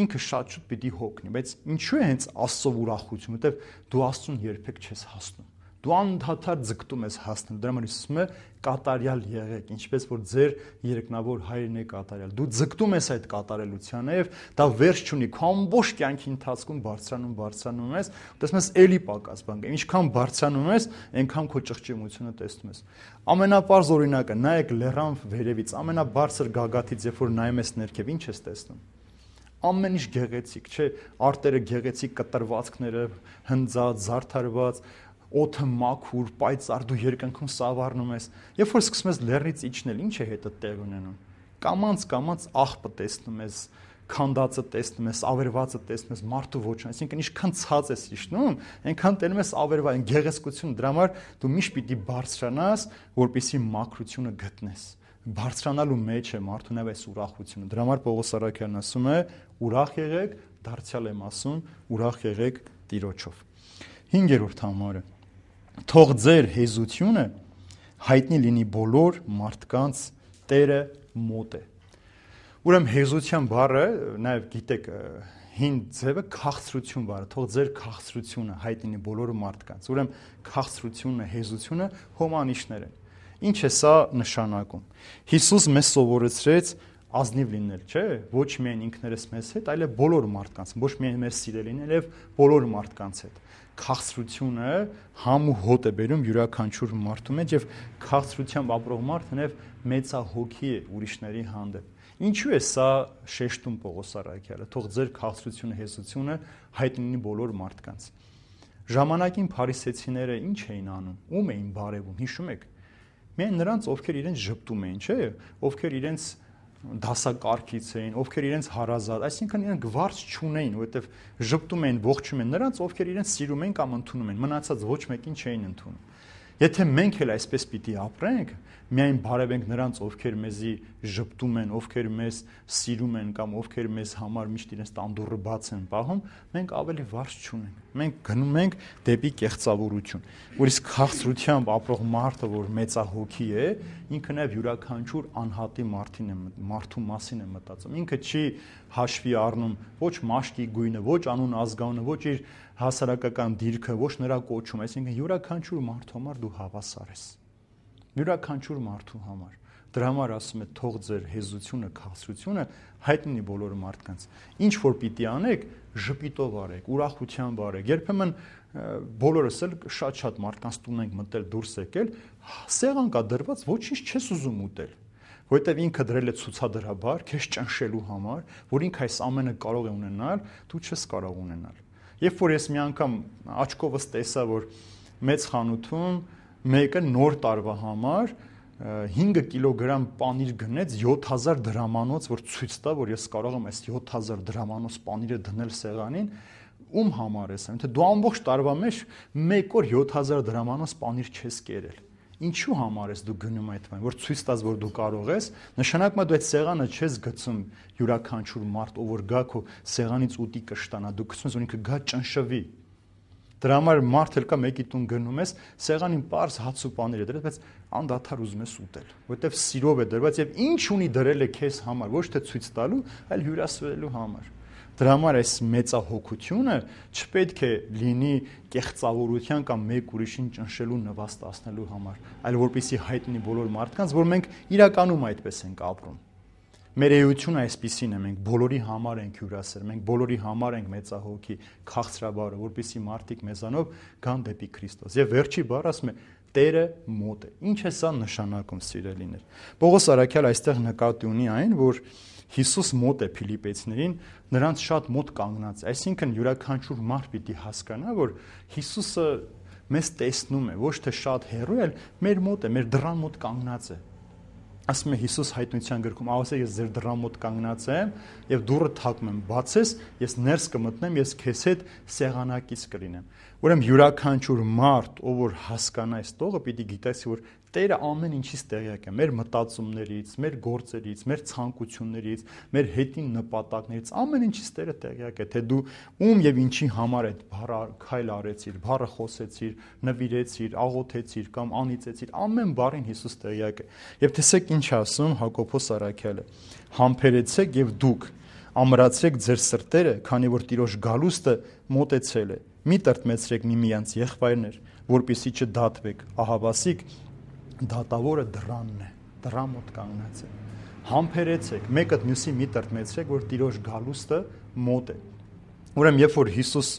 ինքը շատ շուտ պիտի հոգնի, բայց ինչու է հենց Աստծո ուրախություն, որտեվ դու Աստծուն երբեք չես հասնում։ Դու անդադար ձգտում ես հասնել, դրա համար ասում է կատարյալ եղեք, ինչպես որ ձեր երկնավոր հայրն է կատարյալ։ Դու ձգտում ես այդ կատարելությանը եւ դա վերջ չունի, քո ամբողջ կյանքի ընթացքում բարձրանում ես, տեսնում ես էլի պակաս բան կա, ինչքան բարձրանում ես, այնքան քո ճղճիմությունը տեսնում ես։ Ամենապարզ օրինակը, նայեք լեռան վերևից, ամենաբարձր գագաթից, երբ որ նայում ես ներքև, ինչ ես տեսնում։ Ամեն ինչ գեղեցիկ, չէ՞, արտերը գեղեցիկ, կտրվածքները հնձած, զարդարված, օդը մաքուր, պայծառ, դու երկնքում սավառնում ես։ Երբ որ սկսում ես լեռնից իջնել, ինչ է հետը տեղ ունենում։ Կամած աղբը տեսնում ես, քանդածը տեսնում ես, ավերվածը տեսնում ես, մարդու ոչն, այսինքն ինչքան ցած ես իջնում, այնքան տենում ես ավերված, գեղեցկություն, դրա համար դու միշտ պիտի բարձրանաս, որպեսզի մաքրությունը գտնես։ Բարձրանալու մեջ է մարդու նաև այս ուրախությունը։ Դրա համար Պողոս առաքյալն ասում է. ուրախ եղեք, դարձյալ եմ ասում, ուրախ եղեք Տիրոջով։ 5-րդ համարը. թող ձեր հեզությունը հայտնի լինի բոլոր մարդկանց, Տերը մոտ է։ Ուրեմն հեզության բառը, նաև գիտեք, հին ձևը քաղցրություն վարը, թող ձեր քաղցրությունը հայտնի բոլոր մարդկանց։ Ուրեմն քաղցրությունը, հեզությունը հոմանիշներ են։ Ինչ է սա նշանակում։ Հիսուս մեզ սովորեցրեց ազնիվ լինել, չէ՞, ոչ միայն ինքներս մեզ հետ, այլև բոլոր մարդկանց, ոչ միայն մեր սիրելին, այլև բոլոր մարդկանց հետ։ Քաղցրությունը համ ու հոտ է բերում յուրաքանչյուր մարդու մեջ եւ քաղցրությամբ ապրող մարդը նաեւ մեծահոգի է ուրիշների հանդեպ։ Ինչու է սա շեշտում Պողոս առաքյալը, թող ձեր քաղցրությունը, հեզությունը հայտնի բոլոր մարդկանց։ Ժամանակին փարիսեցիները ինչ էին անում, ում էին բարևում, հիշում եք։ Միայն նրանց, ովքեր իրենց ժպտում էին, չէ՞, ովքեր իրենց դասակարգից էին, ովքեր իրենց հարազատ, այսինքն իրենք վարձ չունեին, որովհետև ժպտում էին, ողջում են նրանց, ովքեր իրենց սիրում են կամ ընդունում են, մնացած ոչ մեկին չէին ընդունում։ Եթե մենք էլ այսպես պիտի ապրենք, միայն բարևենք նրանց, ովքեր մեզի ժպտում են, ովքեր մեզ սիրում են կամ ովքեր մեզ համար միշտ իրենց տանդուռը բաց են պահում, մենք ավելի վարձ չունենք։ Մենք գնում ենք դեպի կեղծավորություն։ Որ իսկ քաղցրությամբ ապրող մարդը, որ մեծահոգի է, ինքը նաև յուրաքանչյուր անհատի մարդու մասին է մտածում։ Ինքը չի հաշվի առնում ոչ մաշկի գույնը, ոչ անուն ազգանունը, ոչ իր հասարակական դիրքը, ոչ նրա կոչումը, այսինքն յուրաքանչյուր մարդու համար դու հավասար ես։ Յուրաքանչյուր մարդու համար։ Դրա համար ասում է թող ձեր հեզությունը, քաղցրությունը հայտնի բոլոր մարդկանց։ Ինչ որ պիտի անեք, ժպիտով արեք, ուրախությամբ արեք։ Երբեմն բոլորս էլ շատ մարդկանց տուն ենք մտել, դուրս եկել, սեղան կա դրված, ոչինչ չես ուզում ուտել։ Որտեվ ինքը դրել է ցուցադրաբար, քեզ ճնշելու համար, որ ինքը այս ամենը կարող է ունենալ, դու չես կարող ունենալ։ Երբ որ ես մի անգամ աչքովս տեսա, որ մեծ խանութում մեկը նոր տարվա համար 5 կիլոգրամ պանիր գնեց 7000 դրամանոց, որ ցույց տա, որ ես կարող եմ այս 7000 դրամանոց պանիրը դնել սեղանին, ում համար ես, թե դու ամբողջ տարվա մեջ մեկ օր 7000 դրամանոց պանիր չես կերել։ Ինչու համար ես դու գնում այդ բանը, որ ցույց տաս, որ դու կարող ես, նշանակում է դու այդ սեղանը չես գցում յուրաքանչյուր մարդ, ով որ գա քո սեղանից ուտի կշտանա, դու գցում ես, որ ինքը գա ճնշվի։ Դրա համար մարդ էլ կա մեկի տուն գնում ես, սեղանին պարզ հաց ու պանիր է դրել, բայց անդադար ուզում ես ուտել, որովհետև սիրով է դրված եւ ինչ ունի դրել է քեզ համար, ոչ թե ցույց տալու, այլ հյուրասիրելու համար։ Դրա համար այս մեծահոգությունը չպետք է լինի կեղծավորության կամ մեկ ուրիշին ճնշելու նվաստացնելու համար, այլ որպեսզի հայտնի բոլոր մարդկանց, որ մենք իրականում այդպես ենք ապրում։ Մեր էությունը այսպիսին է, մենք բոլորի համար ենք հյուրասեր, մենք բոլորի համար ենք մեծահոգի, քաղցրաբարը, որպեսզի մարդիկ մեզանով գան դեպի Քրիստոս։ Եվ վերջի բառը ասում է Տերը մոտ է։ Ինչ է սա նշանակում, սիրելիներ։ Պողոս առաքյալ այստեղ նկատի ունի այն, որ Հիսուս մոտ է Փիլիպեցիներին, նրանց շատ մոտ կանգնած է։ Այսինքն յուրաքանչյուր մարդ պիտի հասկանա, որ Հիսուսը մեզ տեսնում է, ոչ թե շատ հեռու, այլ մեր մոտ է, մեր դռան մոտ կանգնած է։ Ասում է Հիսուս հայտնության գրքում, ասե ես ձեր դռան մոտ կանգնած եմ եւ դուռը թակում եմ, բացես, ես ներս կմտնեմ, ես քեզ հետ սեղանակից կլինեմ։ Ուրեմն յուրաքանչյուր մարդ, ով որ հասկանա այս տողը, պիտի գիտեսի, որ Տերը ամեն ինչից տեղյակ է, մեր մտածումներից, մեր գործերից, մեր ցանկություններից, մեր հետին նպատակներից, ամեն ինչից Տերը տեղյակ է, թե դու ում եւ ինչի համար այդ բառը քայլ արեցիր, բառը խոսեցիր, նվիրեցիր, աղոթեցիր կամ անիծեցիր, ամեն բառին Հիսուս տեղյակ է։ Եվ տեսեք ինչ ասում Հակոբոս առաքյալը. համբերեցեք եւ դուք ամրացրեք ձեր սրտերը, քանի որ Տիրոջ գալուստը մոտեցել է։ Մի տրտմեցրեք միմյանց եղբայրներ, որպեսզի չդատվեք, ահավասիկ դատավորը դռանն է, դռան մոտ կանգնած է։ Համբերեցեք, մեկը մյուսի մի տրտմեցրեք, որ Տիրոջ գալուստը մոտ է։ Ուրեմն երբ որ Հիսուս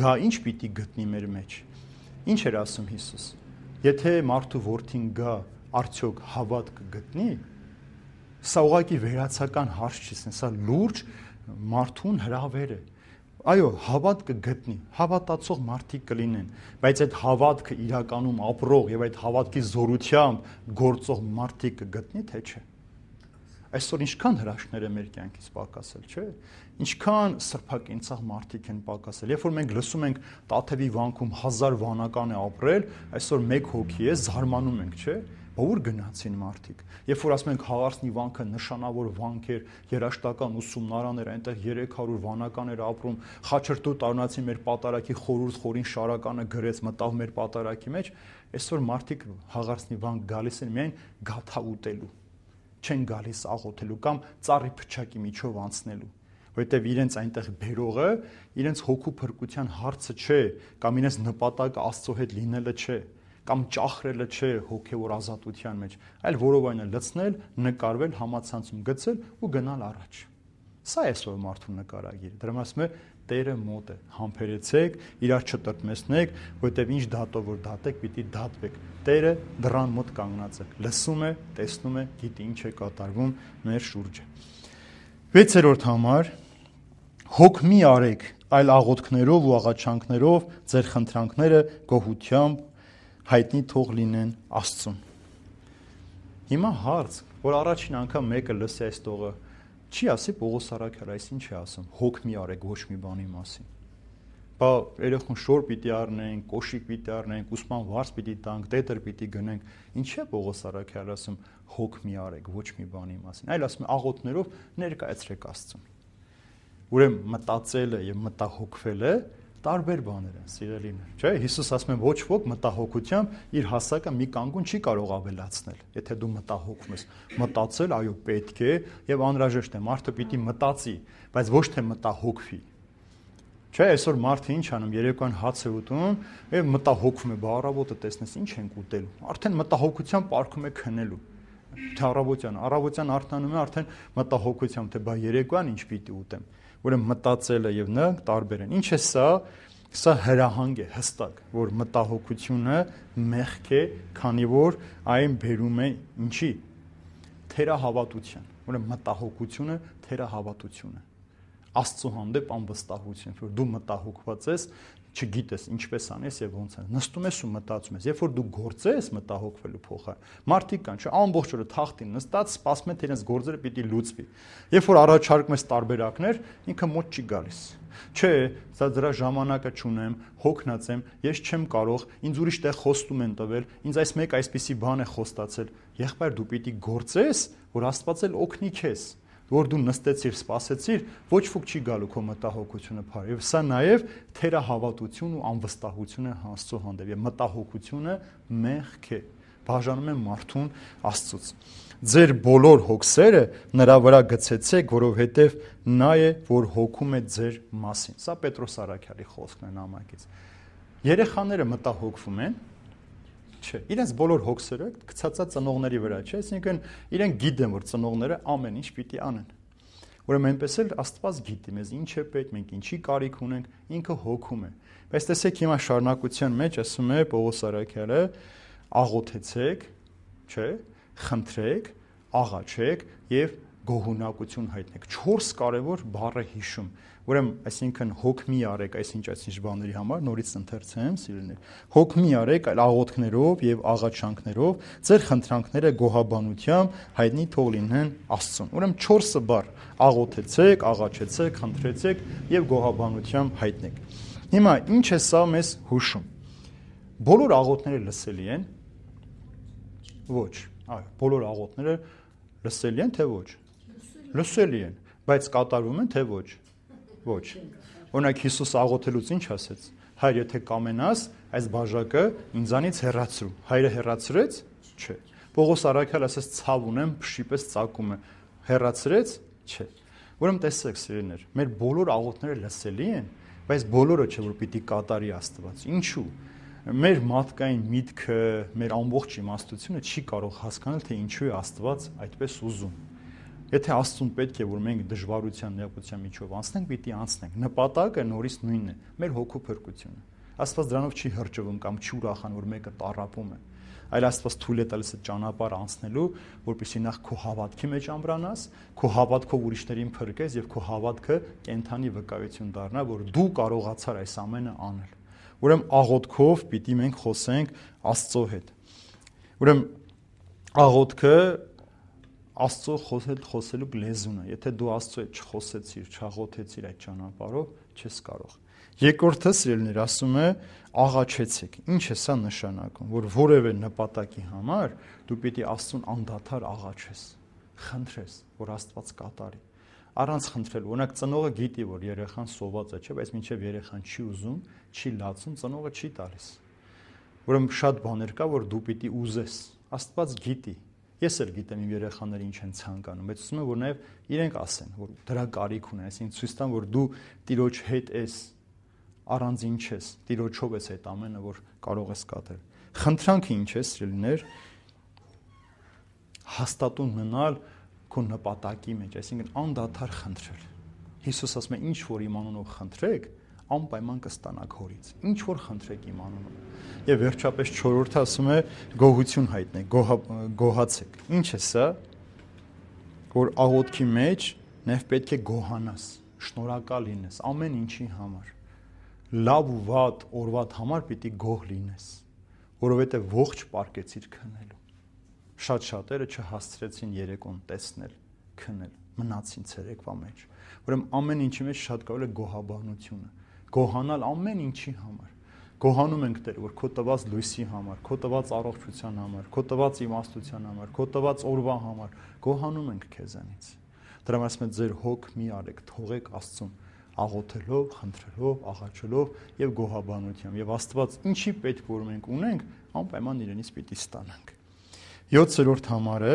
գա, ինչ պիտի գտնի մեր մեջ։ Ինչ էր ասում Հիսուս։ Եթե մարդու որդին գա, արդյոք հավատ կգտնի։ Սա ուղղակի վերացական հարց չի, սա լուրջ մարդուն հրավեր է։ Այո, հավատ կգտնի, հավատացող մարդիկ կլինեն, բայց այդ հավատքը իրականում ապրող եւ այդ հավատքի զորությամբ գործող մարդիկ կգտնի, թե չէ։ Այսօր ինչքան հրաշքներ է մեր կյանքից պակասել, չէ՞։ Ինչքան սրբակենցաղ մարդիկ են պակասել։ Երբ որ մենք լսում ենք Տաթևի վանքում 1000 վանական է ապրել, այսօր 1 հոգի է, զարմանում ենք, չէ՞։ Որ գնացին մարդիկ։ Երբ որ ասում ենք Հաղարսնի վանքը նշանավոր վանք էր, երաշտական ուսումնարան էր, այնտեղ 300 վանական էր ապրում, Խաչրտու տարնացի մեր պատարակի խորուրդ խորին շարականը գրեց, մտավ մեր պատարակի մեջ, այսօր մարդիկ Հաղարսնի վանք գալիս են միայն գաթա ուտելու, չեն գալիս աղոթելու կամ ծառի փչակի միջով անցնելու։ որովհետև իրենց այնտեղ բերողը իրենց հոգու փրկության հարցը չէ, կամ իրենց նպատակը Աստծո հետ լինելը չէ, կամ ճախրելը չէ հոգևոր ազատության մեջ, այլ որովայնը լցնել, նկարվել, համացանցում գցել ու գնալ առաջ։ Սա է այսօր մարդու նկարագիրը։ Դրա ասում է Տերը մոտ է, համբերեցեք, իրար չտրտմեցնեք, որովհետև ինչ դատով որ դատեք, պիտի դատվեք։ Տերը դռան մոտ կանգնած է, լսում է, տեսնում է, գիտի ինչ է կատարվում մեր շուրջը։ 6-րդ համար հոգ մի արեք, այլ աղոթքներով ու աղաչանքներով ձեր խնդրանքները գոհությամբ հայտնի թող լինեն Աստծուն։ Հիմա հարց, որ առաջին անգամ մեկը լսի այս տողը, չի ասի Պողոս Արաքյալը, այս ինչ է ասում, հոգ մի արեք ոչ մի բանի մասին։ Բա երեխուն շոր պիտի առնենք, կոշիկ պիտի առնենք, ուսման վարձ պիտի տանք, տետր պիտի գնենք, ինչ է Պողոս Արաքյալը ասում, հոգ մի արեք ոչ մի բանի մասին, այլ ասում է աղոթներով ներկայացրեք Աստծուն։ Ուրեմն մտածելը եւ մտահոգվելը տարբեր բաներ են, սիրելիներ, չէ՞։ Հիսուս ասում է ոչ ոք մտահոգությամբ իր հասակը մի կանգուն չի կարող ավելացնել։ Եթե դու մտահոգվում ես, մտածել, այո, պետք է եւ անհրաժեշտ է, մարդը պիտի մտածի, բայց ոչ թե մտահոգվի։ Չէ, այսօր մարդը ինչ անում, երեկոյան հաց է ուտում եւ մտահոգվում է, բա առավոտը տեսնես ինչ ենք ուտելու։ Արդեն մտահոգությամբ պարկում է քնելու։ Թե առավոտյան արթնանում է արդեն մտահոգությամբ, թե բա երեկոյան ինչ պիտի ուտեմ։ Ուրեմն մտածելը եւ նա տարբեր են։ Ինչ է սա։ Սա հրահանգ է հստակ, որ մտահոգությունը մեղք է, քանի որ այն բերում է ինչի։ Թերահավատության։ Ուրեմն մտահոգությունը թերահավատություն է։ Աստծո հանդեպ անվստահություն, որ դու մտահոգված ես, չգիտես ինչպես անես եւ ոնց անես։ Նստում ես ու մտածում ես, երբ որ դու գործես մտահոգվելու փոխարեն։ Մարդիկ կան, չէ, ամբողջ օրը թախտին նստած սպասում են, թե իրենց գործերը պիտի լուծվի։ Երբ որ առաջարկում ես տարբերակներ, ինքը մոտ չի գալիս։ Չէ, սա դրա ժամանակը չունեմ, հոգնած եմ, ես չեմ կարող, ինձ ուրիշ տեղ խոստում են տվել, ինձ այս մեկ այսպիսի բան է խոստացել։ Եղբայր դու պիտի գործես, որ Աստված էլ օգնի քեզ։ Որ դու նստեցիր, սպասեցիր, ոչ ոք չի գալու քո մտահոգությունը փար։ Եվ սա նաև թերահավատություն ու անվստահություն է Աստծո հանդեպ։ Եվ մտահոգությունը մեղք է, բաժանում է մարդուն Աստծուց։ Ձեր բոլոր հոգսերը նրա վրա գցեցեք, որովհետև նա է, որ հոգում է ձեր մասին։ Սա Պետրոս Արաքյալի խոսքն է նամակից։ Երեխաները մտահոգվում են, չէ, իրենց բոլոր հոգսերը գցածա ծնողների վրա, չէ, այսինքն իրենք գիտեն, որ ծնողները ամեն ինչ պիտի անեն։ Ուրեմն այնպես էլ Աստված գիտի մեզ ինչ է պետք, մենք ինչի կարիք ունենք, ինքը հոգում է։ Բայց տեսեք հիմա շարունակության մեջ ասում է Պողոս Արաքյալը, աղոթեցեք, չէ, խնդրեք, աղաչեք եւ գոհունակություն հայտնեք։ 4 կարևոր բառ է հիշում։ Ուրեմն, այսինքն հոգ մի արեք, այսինչ բաների համար նորից ընթերցեմ, սիրելիներ։ Հոգ մի արեք, այլ աղոթքներով եւ աղաչանքներով ձեր խնդրանքները գոհաբանությամբ հայտնի թող լինեն Աստծուն։ Ուրեմն 4 բառ՝ աղոթեցեք, աղաչեցեք, խնդրեցեք եւ գոհաբանությամբ հայտնեք։ Հիմա ինչ է սա մեզ հուշում։ Բոլոր աղոթները լսելի են։ Ոչ, այո, բոլոր աղոթները լսելի են, թե ոչ։ Լսելի են, բայց կատարվում են, թե ոչ։ Ոչ։ Օրինակ Հիսուս աղոթելուց ինչ ասեց։ Հայր, եթե կամենաս, այս բաժակը ինձանից հեռացրու։ Հայրը հեռացրեց։ Չէ։ Պողոս Արաքյալը ասեց ցավ ունեմ, փշի պես ծակում է։ Հեռացրեց։ Չէ։ Ուրեմն տեսեք, սիրելիներ, մեր բոլոր աղոթները լսելի են, բայց բոլորը չէ որ պիտի կատարի Աստված։ Ինչու։ Մեր մարդկային միտքը, մեր ամբողջ իմաստությունը չի կարող հասկանալ, թե ինչու է Աստված այդպես ուզում։ Եթե Աստծուն պետք է, որ մենք դժվարության, նեղության միջով անցնենք, պիտի անցնենք։ Նպատակը նորից նույնն է՝ մեր հոգու փրկությունը։ Աստված դրանով չի հրճվում կամ չի ուրախան, որ մեկը տառապում է, այլ Աստված թույլ է տալիս այդ ճանապարհը անցնելու, որպեսզի նախ քո հավատքի մեջ ամրանաս, քո հավատքով ուրիշներին փրկես եւ քո հավատքը կենթանի վկայություն դառնա, որ դու կարողացար այս ամենը անել։ Ուրեմն աղոթքով պիտի մենք խոսենք Աստծո հետ։ Ուրեմն աղոթքը Աստծո խոսելու լեզուն է։ Եթե դու Աստծո հետ չխոսեցիր, չաղոթեցիր այդ ճանապարհով, չես կարող։ Երկրորդը, սիրելիներ, ասում է աղաչեցեք։ Ինչ է սա նշանակում, որ որևէ նպատակի համար դու պիտի Աստծուն անդադար աղաչես, խնդրես, որ Աստված կատարի։ Առանց խնդրելու, օրինակ ծնողը գիտի, որ երեխան սոված է, չէ, բայց մինչև երեխան չի ուզում, չի լացում, ծնողը չի տալիս։ Ուրեմն շատ բաներ կա, որ դու պիտի ուզես։ Աստված գիտի, Ես էլ գիտեմ իմ երեխաները ինչ են ցանկանում, բայց ուզում եմ որ նաև իրենք ասեն, որ դրա կարիք ունեն, այսինքն ցույց տան, որ դու Տիրոջ հետ ես, առանձին չես, Տիրոջով ես այդ ամենը, որ կարող ես կատարել։ Խնդրանքը ինչ է, սիրելիներ, հաստատուն մնալ քո նպատակի մեջ, այսինքն անդադար խնդրել։ Հիսուս ասում է, ինչ որ իմ անունով խնդրեք, անպայման կստանաք հորից։ Ինչ որ խնդրեք իմ անունով։ Եվ վերջապես 4-րդը ասում է գոհություն հայտնեք, գոհացեք։ Ինչ է սա, որ աղոթքի մեջ նաև պետք է գոհանաս, շնորհակալ լինես ամեն ինչի համար։ Լավ ու վատ օրվատ համար պիտի գոհ լինես, որովհետև ողջ պարկեցիր քնելու։ Շատ շատերը չհասցրեցին երեկոն տեսնել, քնել, մնացին ցերեկվա մեջ։ Ուրեմն ամեն ինչի մեջ շատ կարևոր է գոհաբանությունը, գոհանալ ամեն ինչի համար։ Գոհանում ենք Տեր, որ քո տված լույսի համար, քո տված առողջության համար, քո տված իմաստության համար, քո տված օրվա համար, գոհանում ենք քեզանից։ Դրա համար ասում եմ, ձեր հոգ մի արեք, թողեք Աստծուն աղոթելով, խնդրելով, աղաչելով եւ գոհաբանությամբ։ Եվ Աստված ինչի պետք որ մենք ունենք, անպայման իրենից պիտի ստանանք։ 7-րդ համարը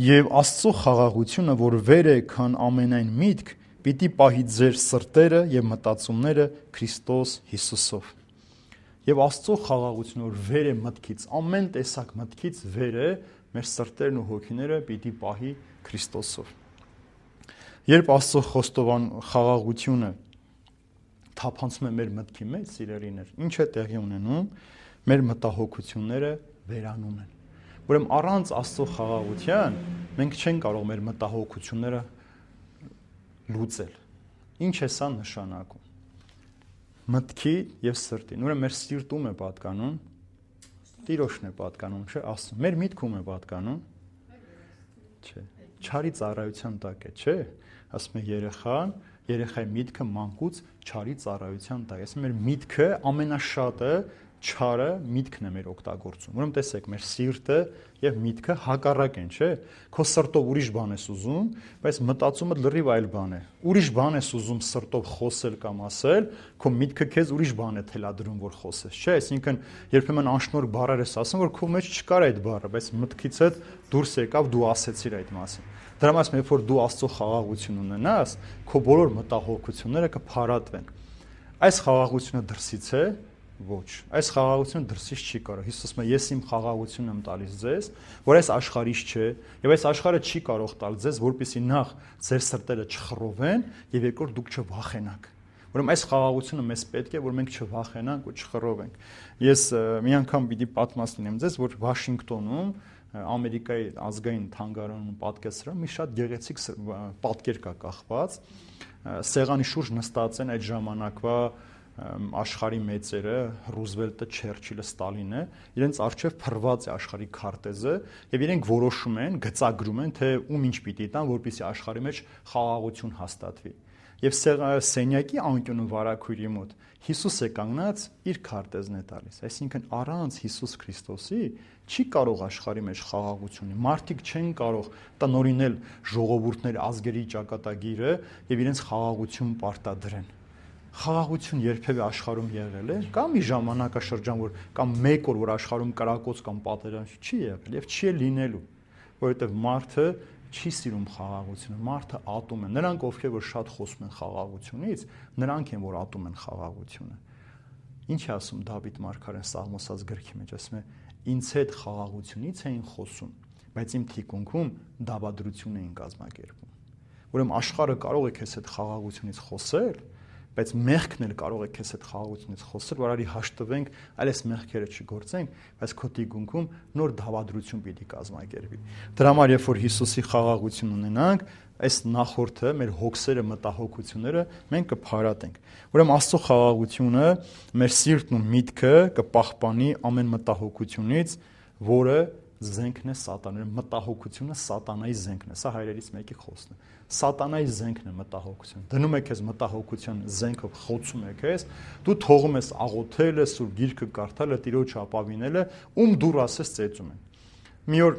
եւ Աստծո խաղաղությունը, որ վեր է քան ամենայն միտք, պիտի պահի ձեր սրտերը եւ մտածումները Քրիստոս Հիսուսով։ Եվ Աստծո խաղաղությունը, որ վեր է մտքից, ամեն տեսակ մտքից վեր է, մեր սրտերն ու հոգիները պիտի պահի Քրիստոսով։ Երբ Աստծո խոստովան խաղաղությունը թափանցում է մեր մտքի մեջ, սիրելիներ, ինչ է տեղի ունենում, մեր մտահոգությունները վերանում են։ Ուրեմն առանց Աստծո խաղաղության մենք չենք կարող մեր մտահոգությունները լուծել։ Ինչ է սա նշանակում։ Մտքի եւ սրտին։ Ուրեմն մեր սիրտում է պատկանում, Տիրոջն է պատկանում, չէ՞, Աստծուն։ Մեր միտքում է պատկանում։ Չէ։ Չարի ծառայության տակ է, չէ՞։ Ասում է երեխայի միտքը մանկուց չարի ծառայության տակ։ Այսինքն մեր միտքը ամենաշատը չարը միտքն է մեր օգտագործում։ Ուրեմն տեսեք, մեր սիրտը եւ միտքը հակառակ են, չէ՞։ Քո սրտով ուրիշ բան ես ուզում, բայց մտածումը լրիվ այլ բան է։ Ուրիշ բան ես ուզում սրտով խոսել կամ ասել, քո միտքը քեզ ուրիշ բան է թելադրում, որ խոսես, չէ՞։ Այսինքն երբեմն անշնորհ բառեր ես ասում, որ քո մեջ չկար այդ բառը, բայց մտքիցդ դուրս եկավ, դու ասեցիր այդ մասին։ Դրա համար երբ որ դու Աստծո խաղաղություն ունենաս, քո բոլոր մտահոգությունները կփարատվեն։ Այս խաղաղությունը դրսից է, ոչ, այս խաղաղությունը դրսից չի կարող։ Հիսուսը ասում է, ես իմ խաղաղությունն եմ տալիս ձեզ, որ այս աշխարհից չէ, եւ այս աշխարհը չի կարող տալ ձեզ, որպեսզի նախ ձեր սրտերը չխռովեն եւ երկրորդ դուք չվախենաք։ Ուրեմն այս խաղաղությունը մեզ պետք է, որ մենք չվախենանք ու չխռովենք։ Ես մի անգամ պիտի պատմեմ ձեզ, որ Վաշինգտոնում Ամերիկայի ազգային թանգարանում պատկերսրահ մի շատ գեղեցիկ պատկեր կա կախված, սեղանի շուրջ նստած են այդ ժամանակվա աշխարհի մեծերը, Ռուզվելտը, Չերչիլը, Ստալինը, իրենց արժև փռված է աշխարհի քարտեզը եւ իրենք որոշում են, գծագրում են, թե ում ինչ պիտի տան, որպեսզի աշխարհի մեջ խաղաղություն հաստատվի։ Եվ սենյակի անկյունում վարագույրի մոտ Հիսուս է կանգնած, իր քարտեզն է տալիս։ Այսինքն առանց Հիսուս Քրիստոսի չի կարող աշխարհի մեջ խաղաղություն լինել։ Մարդիկ չեն կարող տնօրինել ժողովուրդներ, ազգերի ճակատագիրը եւ իրենց խաղաղություն պարտադրեն։ Խաղաղություն երբևէ աշխարհում եղել է, կամ մի ժամանակաշրջան, որ կամ մեկ օր, որ աշխարհում կրակոց կամ պատերազմ չի եղել եւ չի լինելու, որովհետեւ մարդը չի սիրում խաղաղությունը, մարդը ատում է։ Նրանք, ովքեր որ շատ խոսում են խաղաղությունից, նրանք են, որ ատում են խաղաղությունը։ Ինչ է ասում Դավիթ մարգարեն Սաղմոսած գրքի մեջ, ասում է. «Ինձ հետ խաղաղությունից էին խոսում, բայց իմ թիկունքում դավադրություն էին կազմակերպում»։ Ուրեմն աշխարհը կարող է քեզ հետ խաղաղությունից խոսել, բայց մեղքն էլ կարող է քեզ հետ խաղաղությունից խոսել, որ արի հաշտվենք, այլ այս մեղքերը չգործենք, բայց քո թիկունքում նոր դավադրություն պիտի կազմակերպի։ Դրա համար երբ որ Հիսուսի խաղաղություն ունենանք, այս նախորդը մեր հոգսերը, մտահոգությունները մենք կփարատենք։ Ուրեմն Աստծո խաղաղությունը մեր սիրտն ու միտքը կպահպանի ամեն մտահոգությունից, որը զենքն է սատանայի, մտահոգությունը սատանայի զենքն է։ Սա հայրերից մեկի խոսքն է։ Սատանայի զենքն է մտահոգությունը։ Դնում է քեզ մտահոգության զենքով, խոցում է քեզ, դու թողում ես աղոթելը, սուրբ գիրքը կարդալը, Տիրոջ ապավինելը, ում դուր ասես ծեծում են։ Մի օր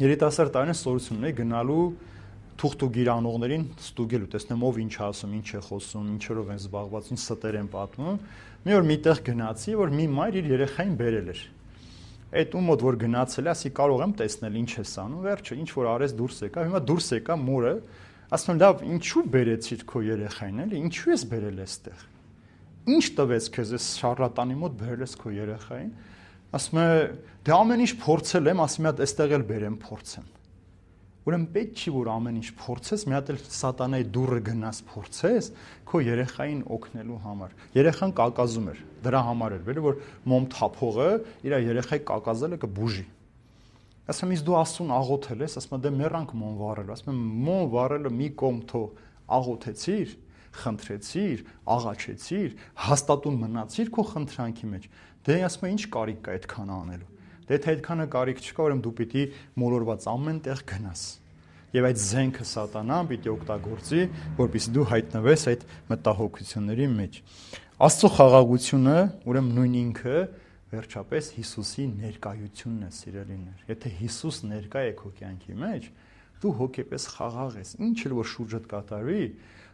երիտասարդ տարին սորություն ունեի գնալու թուղթուգիր անողներին ստուգելու, տեսնեմ ով ինչ ասում, ինչ է խոսում, ինչերով են զբաղված, ինչ ստեր են պատմում։ Մի օր միտեղ գնացի, որ մի մայր իր երեխային բերել էր։ Այդ ու մոտ որ գնացել է, ասի կարող եմ տեսնել ինչ ես անում, վերջը ինչ որ արես դուրս եկա, հիմա դուրս եկա մորը, ասում եմ լավ, ինչու բերեցիր քո երեխային, էլի, ինչու ես բերել այստեղ։ Ինչ տվեց քեզ այս շարլատանի մոտ բերել ես քո երեխային։ Ասում է, դե ամեն ինչ փորձել եմ, ասում եմ, հատ այստեղ էլ բերեմ փորձեմ։ Ուրեմն պետք չի որ ամեն ինչ փորձես, մի հատ էլ սատանայի դուռը գնաս փորձես քո երեխային օգնելու համար։ Երեխան կակազում էր, դրա համար էր, որ մոմ թափողը իր երեխայի կակազելը կբուժի։ Ասում եմ, դու Աստծուն աղոթել ես, ասում եմ, դե մեռանք մոմ վառել, ասում եմ, մոմ վառելը մի կողմ թող աղոթեցիր, խնդրեցիր, աղաչեցիր, հաստատուն մնացիր քո խնդրանքի մեջ։ Դե ասում եմ, ինչ կարիք կա այդքան անելու։ Դե թե այդքանը կարիք չկա, ուրեմն դու պիտի մոլորված ամեն տեղ գնաս։ Եվ այդ զենքը սատանան պիտի օգտագործի, որպեսզի դու հայտնվես այդ մտահոգությունների մեջ։ Աստծո խաղաղությունը, ուրեմն նույն ինքը վերջապես Հիսուսի ներկայությունն է, սիրելիներ։ Եթե Հիսուս ներկա է քո կյանքի մեջ, դու հոգեպես խաղաղ ես։ Ինչ էլ որ շուրջդ կատարվի,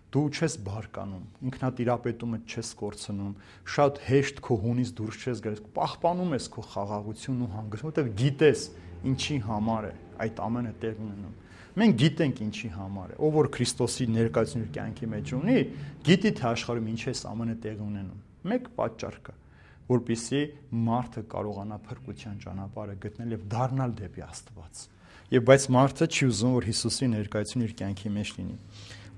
դու չես բարկանում, ինքնատիրապետումը չես կորցնում, շատ հեշտ քո հունից դուրս չես գալիս, պահպանում ես քո խաղաղությունն ու հանգստը, որտեղ գիտես ինչի համար է այդ ամենը տեղ ունենում։ Մենք գիտենք ինչի համար է, ով որ Քրիստոսի ներկայությունը իր կյանքի մեջ ունի, գիտի թե աշխարհում ինչ է ամենը տեղ ունենում։ Մեկ պատճառ կա, որպեսզի մարդը կարողանա փրկության ճանապարհը գտնել եւ դառնալ դեպի Աստված։ Եվ բայց մարդը չի ուզում, որ Հիսուսի ներկայությունը իր կյանքի մեջ լինի։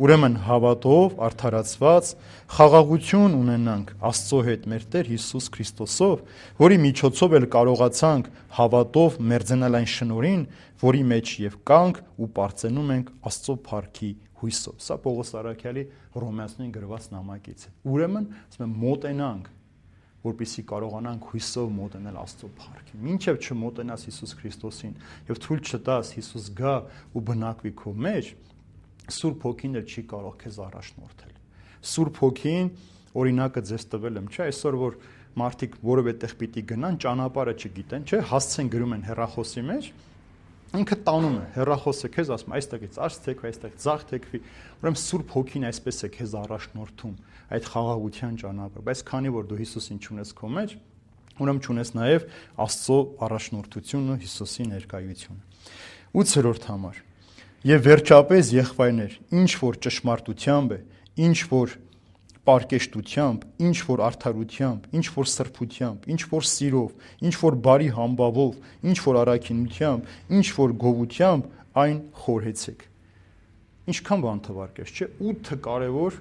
Ուրեմն հավատով արդարացված խաղաղություն ունենանք Աստծո հետ մեր Տեր Հիսուս Քրիստոսով, որի միջոցով էլ կարողացանք հավատով մերձենալ այն շնորհին, որի մեջ եւ կանք ու պարծենում ենք Աստծո փառքի հույսով։ Սա Պողոս Արաքյալի Հռոմեացիներին գրված նամակից է։ Ուրեմն, ասում եմ, մոտենանք, որպեսզի կարողանանք հույսով մոտենալ Աստծո փառքին։ Մինչև չմոտենաս Հիսուս Քրիստոսին եւ թույլ չտաս Հիսուս գա ու բնակվի քո մեջ, Սուրբ Հոգին էլ չի կարող քեզ առաջնորդել։ Սուրբ Հոգին օրինակը ձեզ տվել եմ, չէ՞, այսօր որ մարդիկ որևէ տեղ պիտի գնան, ճանապարհը չգիտեն, չէ՞, հասցեն գրում են հեռախոսի մեջ, ինքը տանում է, հեռախոսը քեզ ասում, այստեղից արս թեքվի, այստեղ ձախ թեքվի, ուրեմն Սուրբ Հոգին այսպես է քեզ առաջնորդում այդ խաղաղության ճանապարհը, բայց քանի որ դու Հիսուսին չունես քո մեջ, ուրեմն չունես նաև Աստծո առաջնորդությունը, Հիսուսի ներկայությունը։ 8-րդ համար։ Եվ վերջապես եղբայրներ, ինչ որ ճշմարտությամբ է, ինչ որ պարկեշտությամբ, ինչ որ արդարությամբ, ինչ որ սրբությամբ, ինչ որ սիրով, ինչ որ բարի համբավով, ինչ որ առաքինությամբ, ինչ որ գովությամբ, այն խորհեցեք։ Ինչքան բան թվարկեց, չէ՞, 8 կարևոր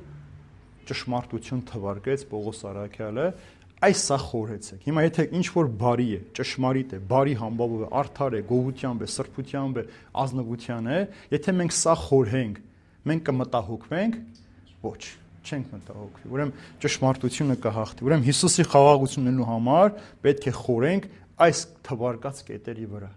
ճշմարտություն թվարկեց Պողոս Արաքյալը, այս սա խորհեցեք։ Հիմա եթե ինչ որ բարի է, ճշմարիտ է, բարի համբավով է, արդար է, գովությամբ է, սրբությամբ է, ազնվության է, եթե մենք սա խորհենք, մենք կմտահոգվենք, ոչ, չենք մտահոգվի։ Ուրեմն ճշմարտությունը կհաղթի։ Ուրեմն Հիսուսի խաղաղությունն ունենալու համար պետք է խորենք այս թվարկած կետերի վրա։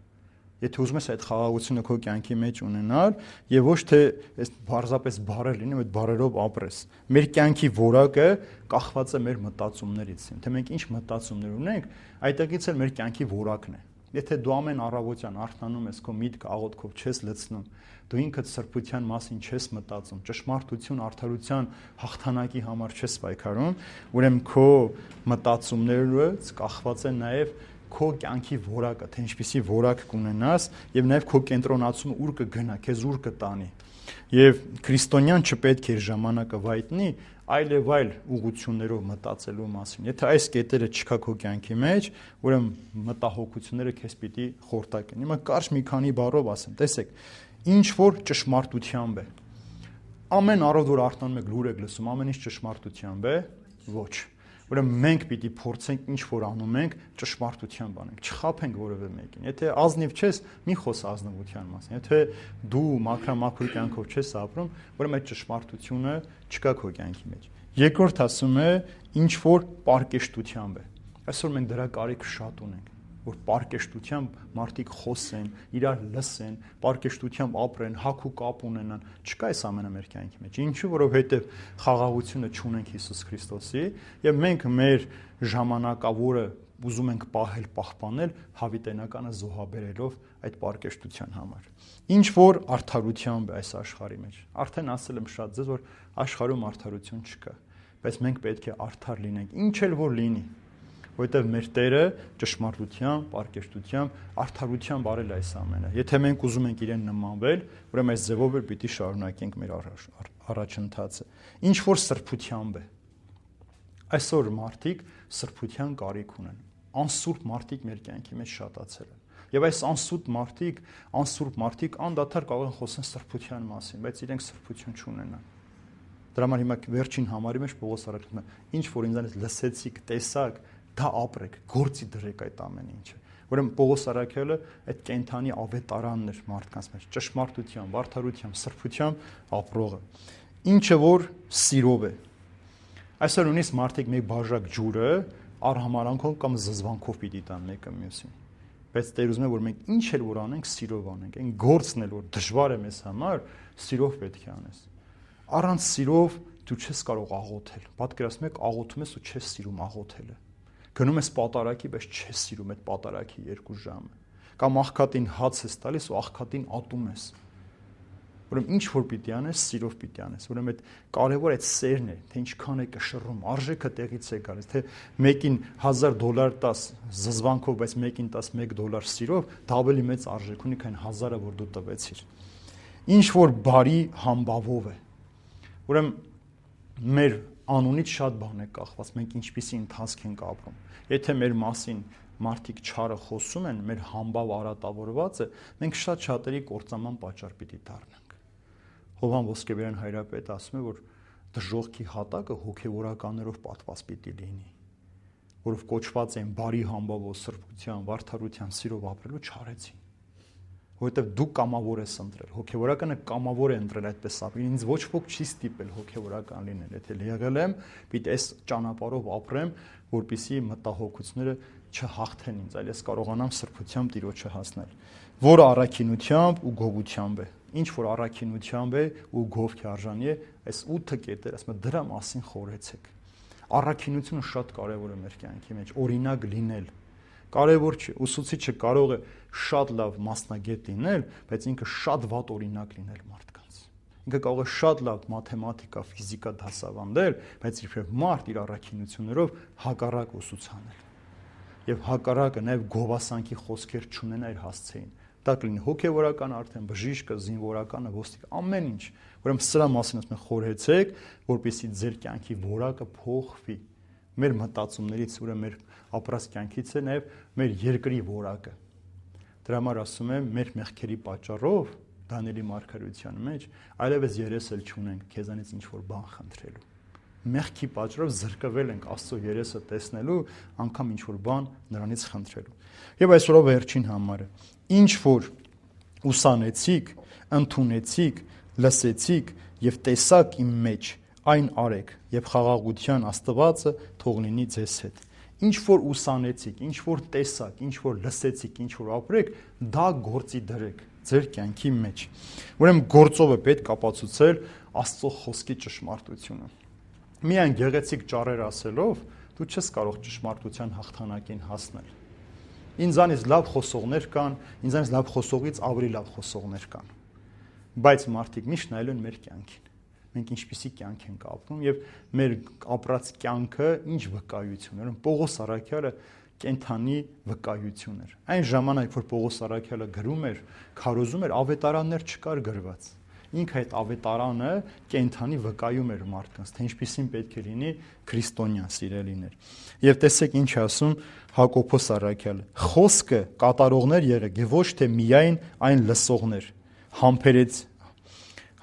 Եթե ուզում ես այդ խաղաղությունը քո կյանքի մեջ ունենալ եւ ոչ թե այս բարձրապես բարեր լինի, այդ բարերով ապրես։ Մեր կյանքի որակը կախված է մեր մտածումներից։ Թե մենք ինչ մտածումներ ունենք, այդտեղից էլ մեր կյանքի որակն է։ Եթե դու ամեն առավոտյան արթնանում ես, քո միտքը աղոթքով չես լցնում, դու ինքդ սրբության մասին չես մտածում, ճշմարտություն, արդարության հաղթանակի համար չես պայքարում, ուրեմն քո մտածումներից կախված է նաեւ քո կյանքի որակը, թե ինչպիսի որակ կունենաս եւ նաեւ քո կենտրոնացումը ուր կգնա, քեզ ուր կտանի։ Եվ քրիստոնյան չպետք է ժամանակը վայտնի այլ ուղղություններով մտածելու մասին։ Եթե այս կետերը չկա քո կյանքի մեջ, ուրեմն մտահոգությունները քեզ պիտի խորտակեն։ Հիմա կարճ մի քանի բառով ասեմ, տեսեք, ինչ որ ճշմարտությամբ է։ Ամեն առավոտ որ արթնանում եք, լուր եք լսում, ամեն ինչ ճշմարտությամբ է, ոչ։ Ուրեմն մենք պիտի փորձենք ինչ որ անում ենք ճշմարտությամբ անենք, չխաբենք որևէ մեկին։ Եթե ազնիվ չես, մի խոս ազնվության մասին։ Եթե դու մաքրամաքուր կյանքով չես ապրում, ուրեմն այդ ճշմարտությունը չկա քո կյանքի մեջ։ Երկրորդ ասում է ինչ որ պարկեշտությամբ է։ Այսօր մենք դրա կարիք շատ ունենք, որ պարկեշտությամբ մարդիկ խոսեն, իրար լսեն, պարկեշտությամբ ապրեն, հագ ու կապ ունենան։ Չկա այս ամենը մեր կյանքի մեջ։ Ինչու՞, որովհետև խաղաղությունը չունենք Հիսուս Քրիստոսի, եւ մենք մեր ժամանակավորը ուզում ենք պահել, պահպանել հավիտենականը զոհաբերելով այդ պարկեշտության համար։ Ինչ որ արդարությամբ է այս աշխարհի մեջ։ Արդեն ասել եմ շատ ձեզ, որ աշխարհում արդարություն չկա, բայց մենք պետք է արդար լինենք, ինչ էլ որ լինի։ որովհետև մեր Տերը ճշմարտությամբ, պարկեշտությամբ, արդարությամբ արել է այս ամենը։ Եթե մենք ուզում ենք իրեն նմանվել, ուրեմն այս ձևով էլ պիտի շարունակենք մեր առաջընթացը։ Ինչ որ սրբությամբ է։ Այսօր մարդիկ սրբության կարիք ունեն։ Անսուրբ մարդիկ մեր կյանքի մեջ շատացել են։ Եվ այս անսուրբ մարդիկ անդադար կարող են խոսեն սրբության մասին, բայց իրենք սրբություն չունենան։ Դրա համար հիմա վերջին համարի մեջ Պողոս առաքյալն է. ինչ որ ինձանից լսեցիք, տեսաք, դա ապրեք, գործի դրեք այդ ամեն ինչը։ Ուրեմն Պողոս առաքյալը այդ կենթանի ավետարանն էր մարդկանց մեջ, ճշմարտությամբ, արդարությամբ, սրբությամբ ապրողը։ Ինչը որ սիրով է։ Այսօր նույնիսկ մարդիկ մեկ բաժակ ջուրը արհամարանքով կամ զզվանքով պիտի տան մեկը մյուսին։ Բայց Տեր ուզում է, որ մենք ինչ էլ որ անենք, սիրով անենք։ Այն գործն էլ որ դժվար է մեզ համար, սիրով պետք է անես։ Առանց սիրով դու չես կարող աղոթել։ Պատկերացնում եք, աղոթում ես ու չես սիրում աղոթելը։ Գնում ես պատարակի, բայց չես սիրում այդ պատարակի 2 ժամը։ Կամ աղքատին հաց ես տալիս ու աղքատին ատում ես։ Ուրեմն ինչ որ պիտի անես, սիրով պիտի անես։ Ուրեմն այդ կարևոր այդ սերն է, թե ինչքան է կշռում, արժեքը տեղից է գալիս, թե մեկին $1000 տաս զզվանքով, բայց մեկին տաս $1 սիրով, դա ավելի մեծ արժեք ունի, քան 1000-ը, որ դու տվեցիր։ Ինչ որ բարի համբավով է։ Ուրեմն մեր անունից շատ բան է կախված, մենք ինչպիսի ընթացք ենք ապրում։ Եթե մեր մասին մարդիկ չարը խոսում են, մեր համբավ արատավորվածը, մենք շատ-շատերի կործանման պատճառ պիտի դառնանք։ Հովհան Ոսկեբերյան հայրապետը ասում է, որ դժողքի հատակը հոգևորականներով պատված պիտի լինի, որով կոչված են բարի համբավով, սրբությամբ, արդարությամբ, սիրով ապրելու չարեցին։ Որովհետև դու կամավոր ես ընտրել, հոգևորականը կամավոր է ընտրել այդպես ապրել։ Ինձ ոչ ոք չի ստիպել հոգևորական լինել, եթե եղել եմ, պիտի այս ճանապարհով ապրեմ, որպեսզի մտահոգությունները չհաղթեն ինձ, այլ ես կարողանամ սրբությամբ Տիրոջը հասնել, որը առաքինությամբ ու գովությամբ է։ Ինչ որ առաքինությամբ է ու գովքի արժանի է, այս 8 կետեր, ասում եմ, դրա մասին խորհեցեք։ Առաքինությունը շատ կարևոր է մեր կյանքի մեջ, օրինակ լինել։ Կարևոր չէ, ուսուցիչը կարող է շատ լավ մասնագետ լինել, բայց ինքը շատ վատ օրինակ լինել մարդկանց։ Ինքը կարող է շատ լավ մաթեմատիկա, ֆիզիկա դասավանդել, բայց իբրև մարդ իր առաքինություններով հակառակ ուսուցանել։ Եվ հակառակը նաև գովասանքի խոսքեր չունենա իր հասցեին։ Դա կլինի հոգևորական արդեն, բժիշկը, զինվորականը, ոստիկ, ամեն ինչ։ Ուրեմն սրա մասին ասում են խորհեցեք, որպեսզի ձեր կյանքի որակը փոխվի։ Մեր մտածումներից, ուրեմն մեր ապրած կյանքից է նաև մեր երկրի որակը։ Դրա համար ասում եմ, մեր մեղքերի պատճառով Դանիելի մարգարեության մեջ այլևս երես էլ չունենք քեզանից ինչ որ բան խնդրելու։ Մեղքի պատճառով զրկվել ենք Աստծո երեսը տեսնելու, անգամ ինչ որ բան նրանից խնդրելու։ Եվ այսօրով վերջին համարը, ինչ որ ուսանեցիք, ընդունեցիք, լսեցիք եւ տեսաք իմ մեջ, այն արեք, եւ խաղաղության Աստվածը թող լինի ձեզ հետ։ Ինչ որ ուսանեցիք, ինչ որ տեսաք, ինչ որ լսեցիք, ինչ որ ապրեք, դա գործի դրեք ձեր կյանքի մեջ։ Ուրեմն գործով է պետք ապացուցել Աստծո խոսքի ճշմարտությունը։ Միայն գեղեցիկ ճառեր ասելով դու չես կարող ճշմարտության հաղթանակին հասնել։ Ինձանից լավ խոսողներ կան, ինձանից լավ խոսողից ավելի լավ խոսողներ կան։ Բայց մարդիկ միշտ նայելու են մեր կյանքին։ Մենք ինչպիսի կյանք ենք ապրում եւ մեր ապրած կյանքը ինչ վկայություն է։ Պողոս առաքյալը կենթանի վկայություն էր։ Այն ժամանակ, որ Պողոս առաքյալը գրում էր, քարոզում էր, ավետարաններ չկար գրված։ Ինքը այդ ավետարանը կենթանի վկայում էր մարդկանց, թե ինչպիսին պետք է լինի քրիստոնյա սիրելիներ։ Եվ տեսեք ինչ ասում Հակոբոս առաքյալը. խոսքը կատարողներ եղեք եւ ոչ թե միայն այն լսողներ։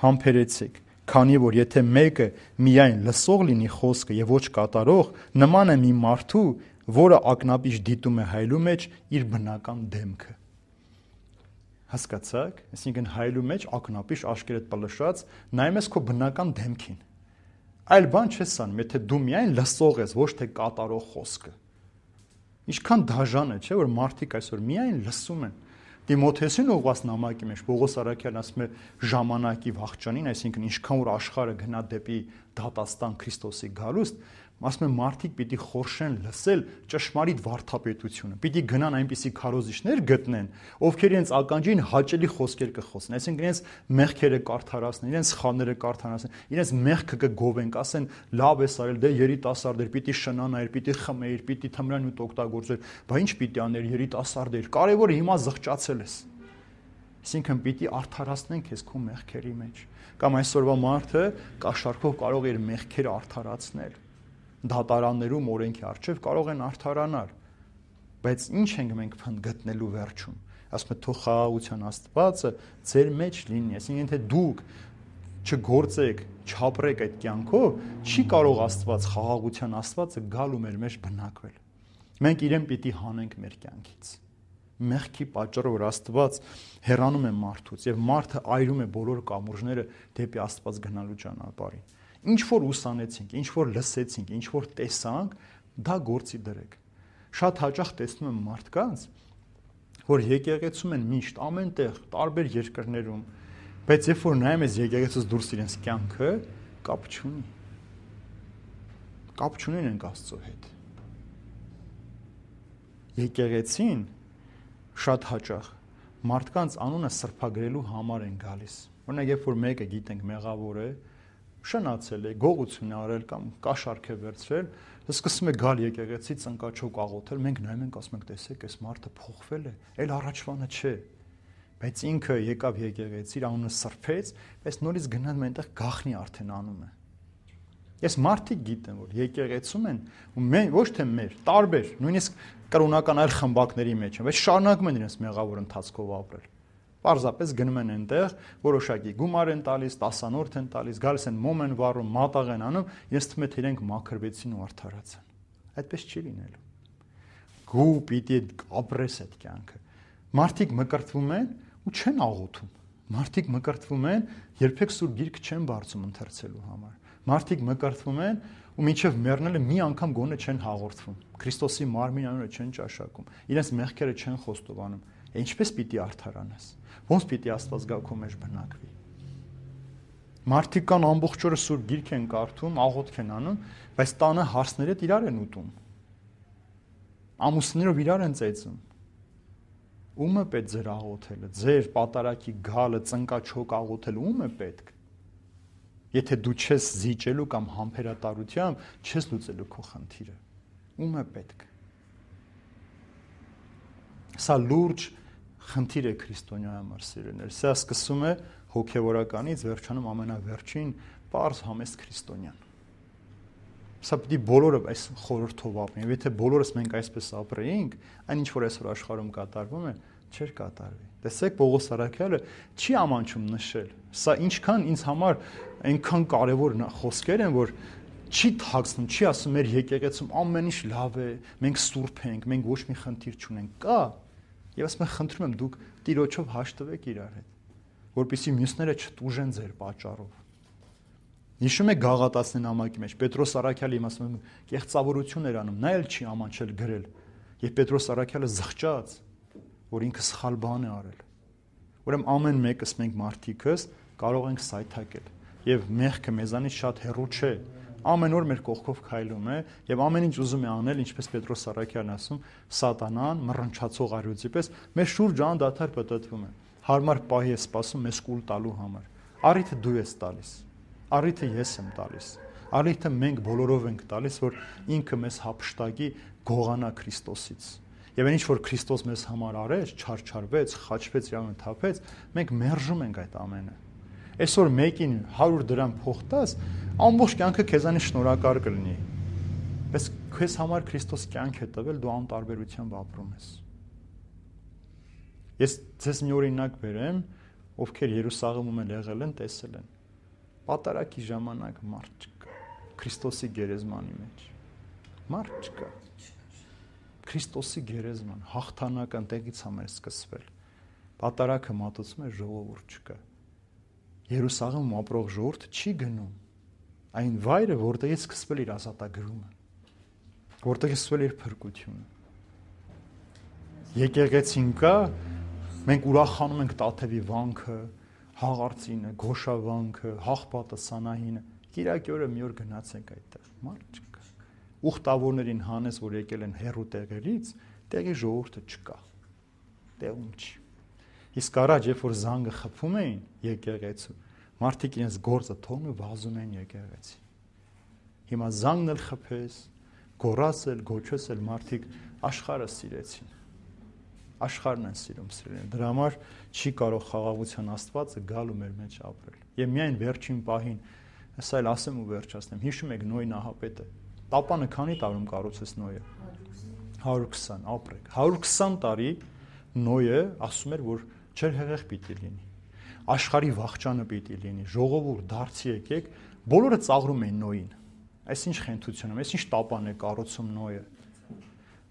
Համբերեցեք, քանի որ եթե մեկը միայն լսող լինի խոսքը եւ ոչ կատարող, նման է մի մարդու, որը ակնապիշ դիտում է հայլու մեջ իր բնական դեմքը։ Հասկացաք, այսինքն հայլու մեջ ակնապիշ աշկերտ պլշած նայում ես քո բնական դեմքին։ Այլ բան չես անում, եթե դու միայն լսող ես, ոչ թե կատարող խոսքը։ Ինչքան դաժան է, չէ՞, որ մարդիկ այսօր միայն լսում են։ Տիմոթեոսին ուղղված նամակի մեջ Պողոս առաքյալն ասում է ժամանակի վաղճանին, այսինքն ինչքան որ աշխարհը գնա դեպի դատաստան Քրիստոսի գալուստ, Ասում եմ մարդիկ պիտի խորշեն լսել ճշմարիտ վարդապետությունը։ Պիտի գնան այնպիսի քարոզիչներ գտնեն, ովքեր իրենց ականջին հաճելի խոսքեր կխոսեն, այսինքն իրենց մեղքերը կարդարացնեն, իրենց սխալները կարդարացնեն, իրենց մեղքը կգովեն, կասեն լավ ես արել, դե երիտասարդ էր, պիտի շնանայր, պիտի խմեիր, պիտի թմրանյութ օգտագործեր, բա ինչ պիտի աներ, երիտասարդ էր, կարևորը հիմա զղջացել ես։ Այսինքն պիտի արդարացնեն քեզ քո մեղքերի մեջ։ Կամ այսօրվա մարդը կաշառքով կարող է իր մեղքերը արդարացնել։ Դատարաններում օրենքի առջև կարող են արդարանալ, բայց ինչ ենք մենք գտնելու վերջում։ Ասում եմ, թող խաղաղության Աստվածը ձեր մեջ լինի, այսինքն թե դուք չգործեք, չապրեք այդ կյանքով, չի կարող Աստված, խաղաղության Աստվածը գալ ու մեր մեջ բնակվել։ Մենք իրեն պիտի հանենք մեր կյանքից։ Մեղքի պատճառով որ Աստված հեռանում է մարդուց եւ մարդը այրում է բոլոր կամուրջները դեպի Աստված գնալու ճանապարհին։ Ինչ որ ուսանեցինք, ինչ որ լսեցինք, ինչ որ տեսանք, դա գործի դրեք։ Շատ հաճախ տեսնում եմ մարդկանց, որ եկեղեցում են միշտ ամենտեղ, տարբեր երկրներում, բայց երբ որ նայում ես եկեղեցուց դուրս իրենց կյանքը, կապ չունի։ Կապ չունեն ենք Աստծո հետ։ Եկեղեցին շատ հաճախ մարդկանց անունը սրբագրելու համար են գալիս։ Օրինակ, երբ որ մեկը գիտենք մեղավոր է, շնացել է, գողություն է արել կամ կաշառք է վերցրել, սկսում է գալ եկեղեցի ծնկաչոք աղոթել, մենք նայում ենք, ասում ենք, տեսեք, այս մարդը փոխվել է, այլ առաջվանը չէ։ Բայց ինքը եկավ եկեղեցի, իր անունը սրբեց, բայց նորից գնան այնտեղ գախնի արդեն անում է։ Ես մարդիկ գիտեմ, որ եկեղեցում են ու ոչ թե մեր, տարբեր, նույնիսկ կրոնական այլ խմբակների մեջ են, բայց շարունակում են իրենց մեղավոր ընթացքով ապրել։ Պարզապես գնում են այնտեղ, որոշակի գումար են տալիս, տասանորդ են տալիս, գալիս են մոմ են վառում, մատաղ են անում, ես թվում է թե իրենք մաքրվեցին ու արդարացան։ Այդպես չի լինելու։ Գու պիտի ապրես այդ կյանքը։ Մարդիկ մկրտվում են ու չեն աղոթում։ Մարդիկ մկրտվում են, երբեք սուրբ գիրք չեն բարձում ընթերցելու համար։ Մարդիկ մկրտվում են ու մինչև մեռնելը մի անգամ գոնե չեն հաղորդվում։ Քրիստոսի մարմին անունը չեն ճաշակում։ Իրենց մեղքերը չեն խոստովանում։ Ինչպես պիտի արդարանաս։ Ոնց պիտի Աստված գա քո մեջ բնակվի։ Մարդիկ կան ամբողջ օրը սուրբ գիրք են կարդում, աղոթք են անում, բայց տանը հարցները իրար են ուտում։ Ամուսներով իրար են ծեծում։ Ո՞ւմ է պետք ձեր աղոթելը, ձեր պատարակի գալը, ծնկաչոք աղոթելը ո՞ւմ է պետք։ Եթե դու չես զիջելու կամ համբերատարությամբ չես լուծելու քո խնդիրը, ո՞ւմ է պետք։ Սա լուրջ խնդիր է քրիստոնյա համար, սիրելիներ։ Սա սկսում է հոգևորականից, վերջանում ամենավերջին պարզ համեստ քրիստոնյան։ Սա պիտի բոլորը այս խորհրդով ապրեն։ Եթե բոլորս մենք այսպես ապրեինք, այն ինչ որ այսօր աշխարհում կատարվում է, չէր կատարվի։ Տեսեք, Պողոս Արաքյալը չի ամանչում նշել։ Սա ինչքան ինձ համար այնքան կարևոր խոսքեր են, որ չի թաքցնում, չի ասում մեր եկեղեցում ամեն ինչ լավ է, մենք սուրբ ենք, մենք ոչ մի խնդիր չունենք։ Կա։ Եվ ասում եմ, խնդրում եմ դուք Տիրոջով հաշտվեք իրար հետ, որպեսզի մյուսները չտուժեն ձեր պատճառով։ Հիշում եք Գաղատացնի նամակի մեջ Պետրոս Արաքյալի ասում եմ կեղծավորություն էր անում, նա էլ չի ամանչել գրել։ Եվ Պետրոս Արաքյալը զղջաց, որ ինքը սխալ բան է արել։ Ուրեմն ամեն մեկս մենք մարդիկս կարող ենք սայթակել, եւ մեղքը մեզանից շատ հեռու չէ։ Ամեն օր մեր կողքով քայլում է եւ ամեն ինչ ուզում է անել, ինչպես Պետրոս Արաքյալն ասում, սատանան մռնչացող արյուծի պես մեր շուրջ անդադար պտտվում է։ Հարմար պահի է սպասում մեզ կուլ տալու համար։ Առիթը դու ես տալիս։ Առիթը ես եմ տալիս։ Առիթը մենք բոլորով ենք տալիս, որ ինքը մեզ հափշտակի գողանա Քրիստոսից։ Եվ այն ինչ որ Քրիստոս մեզ համար արեց, չարչարվեց, խաչվեց, իրավուն թափեց, մենք մերժում ենք այդ ամենը։ Այսօր մեկին 100 դրամ փող տաս, ամբողջ կյանքը քեզանից շնորհակալ կլինի։ Բայց քեզ համար Քրիստոս կյանք է տվել, դու անտարբերությամբ ապրում ես։ Ես ձեզ մի օրինակ բերեմ, ովքեր Երուսաղեմում եղել են, տեսել են։ Պատարակի ժամանակ մարդ չկա Քրիստոսի գերեզմանի մեջ։ Մարդ չկա։ Քրիստոսի գերեզման հաղթանական տեղից համար սկսվել։ Պատարակը մատուցում է, ժողովուրդ չկա։ Երուսաղեմում ապրող ժողովուրդը չի գնում այն վայրը, որտեղից սկսվել իր ազատագրումը, որտեղից սկսվել իր փրկությունը։ Եկեղեցին կա, մենք ուրախանում ենք Տաթևի վանքը, հաղարծինը, Գոշավանքը, Հաղպատը, Սանահինը։ Կիրակի օրը մի օր գնացենք այդտեղ, մարդ չկա։ ուխտավորներին հանես, որ եկել են հեռու տեղերից, տեղի ժողովուրդը չկա։ Տեղում չի։ Իսկ առաջ, երբ որ զանգը խփում էին եկեղեցու, մարդիկ իրենց գործը թողնում վազում էին եկեղեցի։ Հիմա զանգն էլ խփես, գոռասել, գոչոսել մարդիկ աշխարհը սիրեցին։ Աշխարհն են սիրում սիրելին։ Դրա համար չի կարող խաղաղության Աստվածը գալ ու մեր մեջ ապրել։ Եվ միայն վերջին պահին, հեսա էլ ասեմ ու վերջացնեմ, հիշում եք Նոյի նահապետը։ Տապանը քանի տարում կառուցեց Նոյը։ 120, ապրեք։ 120 տարի Նոյը ասում էր, որ ջրհեղեղ պիտի լինի։ Աշխարհի վախճանը պիտի լինի։ Ժողովուրդ դարձի եկեք, բոլորը ծաղրում էին Նոյին։ Այս ինչ խենթություն է, այս ինչ տապան է կառուցում Նոյը։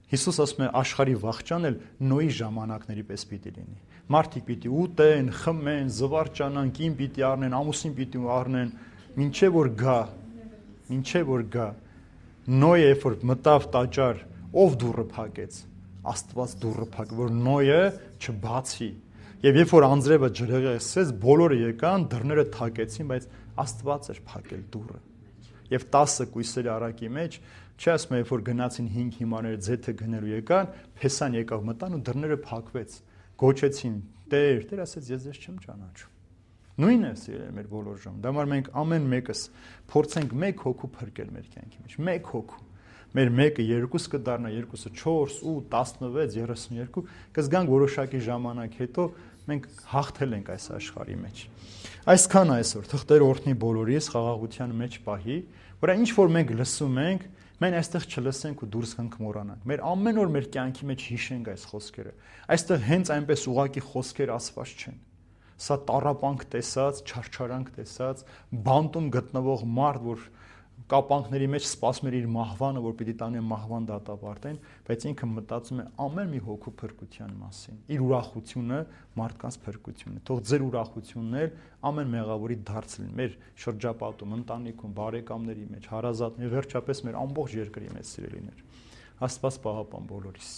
Հիսուս ասում է աշխարհի վախճան էլ Նոյի ժամանակների պես պիտի լինի։ Մարդիկ պիտի ուտեն, խմեն, զվարճանան, կին պիտի առնեն, ամուսին պիտի առնեն, մինչև որ գա, մինչև որ գա։ Նոյը երբ որ մտավ տաճար, ով դուռը փակեց։ Աստված դուռը փակ, որ Նոյը չբացի։ Եվ երբ որ անձրևը ջրհեղեղեցեց, բոլորը եկան, դռները թակեցին, բայց Աստված էր փակել դուռը։ Եվ 10 կույսերի առակի մեջ, չի ասում, երբ որ գնացին 5 հիմարները ձեթը գնելու եկան, Փեսան եկավ մտան ու դռները փակվեց։ Գոչեցին. Տեր, Տեր ասեց, ես ձեզ չեմ ճանաչում։ Նույնն է սիրել մեր բոլոր ժամ։ Դա համար մենք ամեն մեկս փորձենք 1 հոգու փրկել մեր կյանքի մեջ, 1 հոգու։ Մեր մեկը 2 կդառնա, 2-ը 4, 8, 16, 32, կզգանք որոշակի ժամանակ հետո մենք հաղթել ենք այս աշխարհի մեջ։ Այսքան այսօր թղթեր օրհնի բոլորիս խաղաղության մեջ պահի, որ ինչ որ մենք լսում ենք, մենք այստեղ չլսենք ու դուրս գանք մոռանանք։ Մեր ամեն օր մեր կյանքի մեջ հիշենք այս խոսքերը։ Այստեղ հենց այնպես ուղակի խոսքեր ասված չեն։ Սա տառապանք տեսած, չարչարանք տեսած, բանտում գտնվող մարդ, որ կապանքների մեջ սպասում էր իր մահվանը, որ պիտի տանեն մահվան դատապարտեն, բայց ինքը մտածում է ամեն մի հոգու փրկության մասին։ Իր ուրախությունը մարդկանց փրկությունն է։ Թող ձեր ուրախությունն էլ ամեն մեղավորի դարձ լինի մեր շրջապատում, ընտանիքում, բարեկամների մեջ, հարազատների, վերջապես մեր ամբողջ երկրի մեջ սիրելիներ։ Աստված պահապան բոլորիս։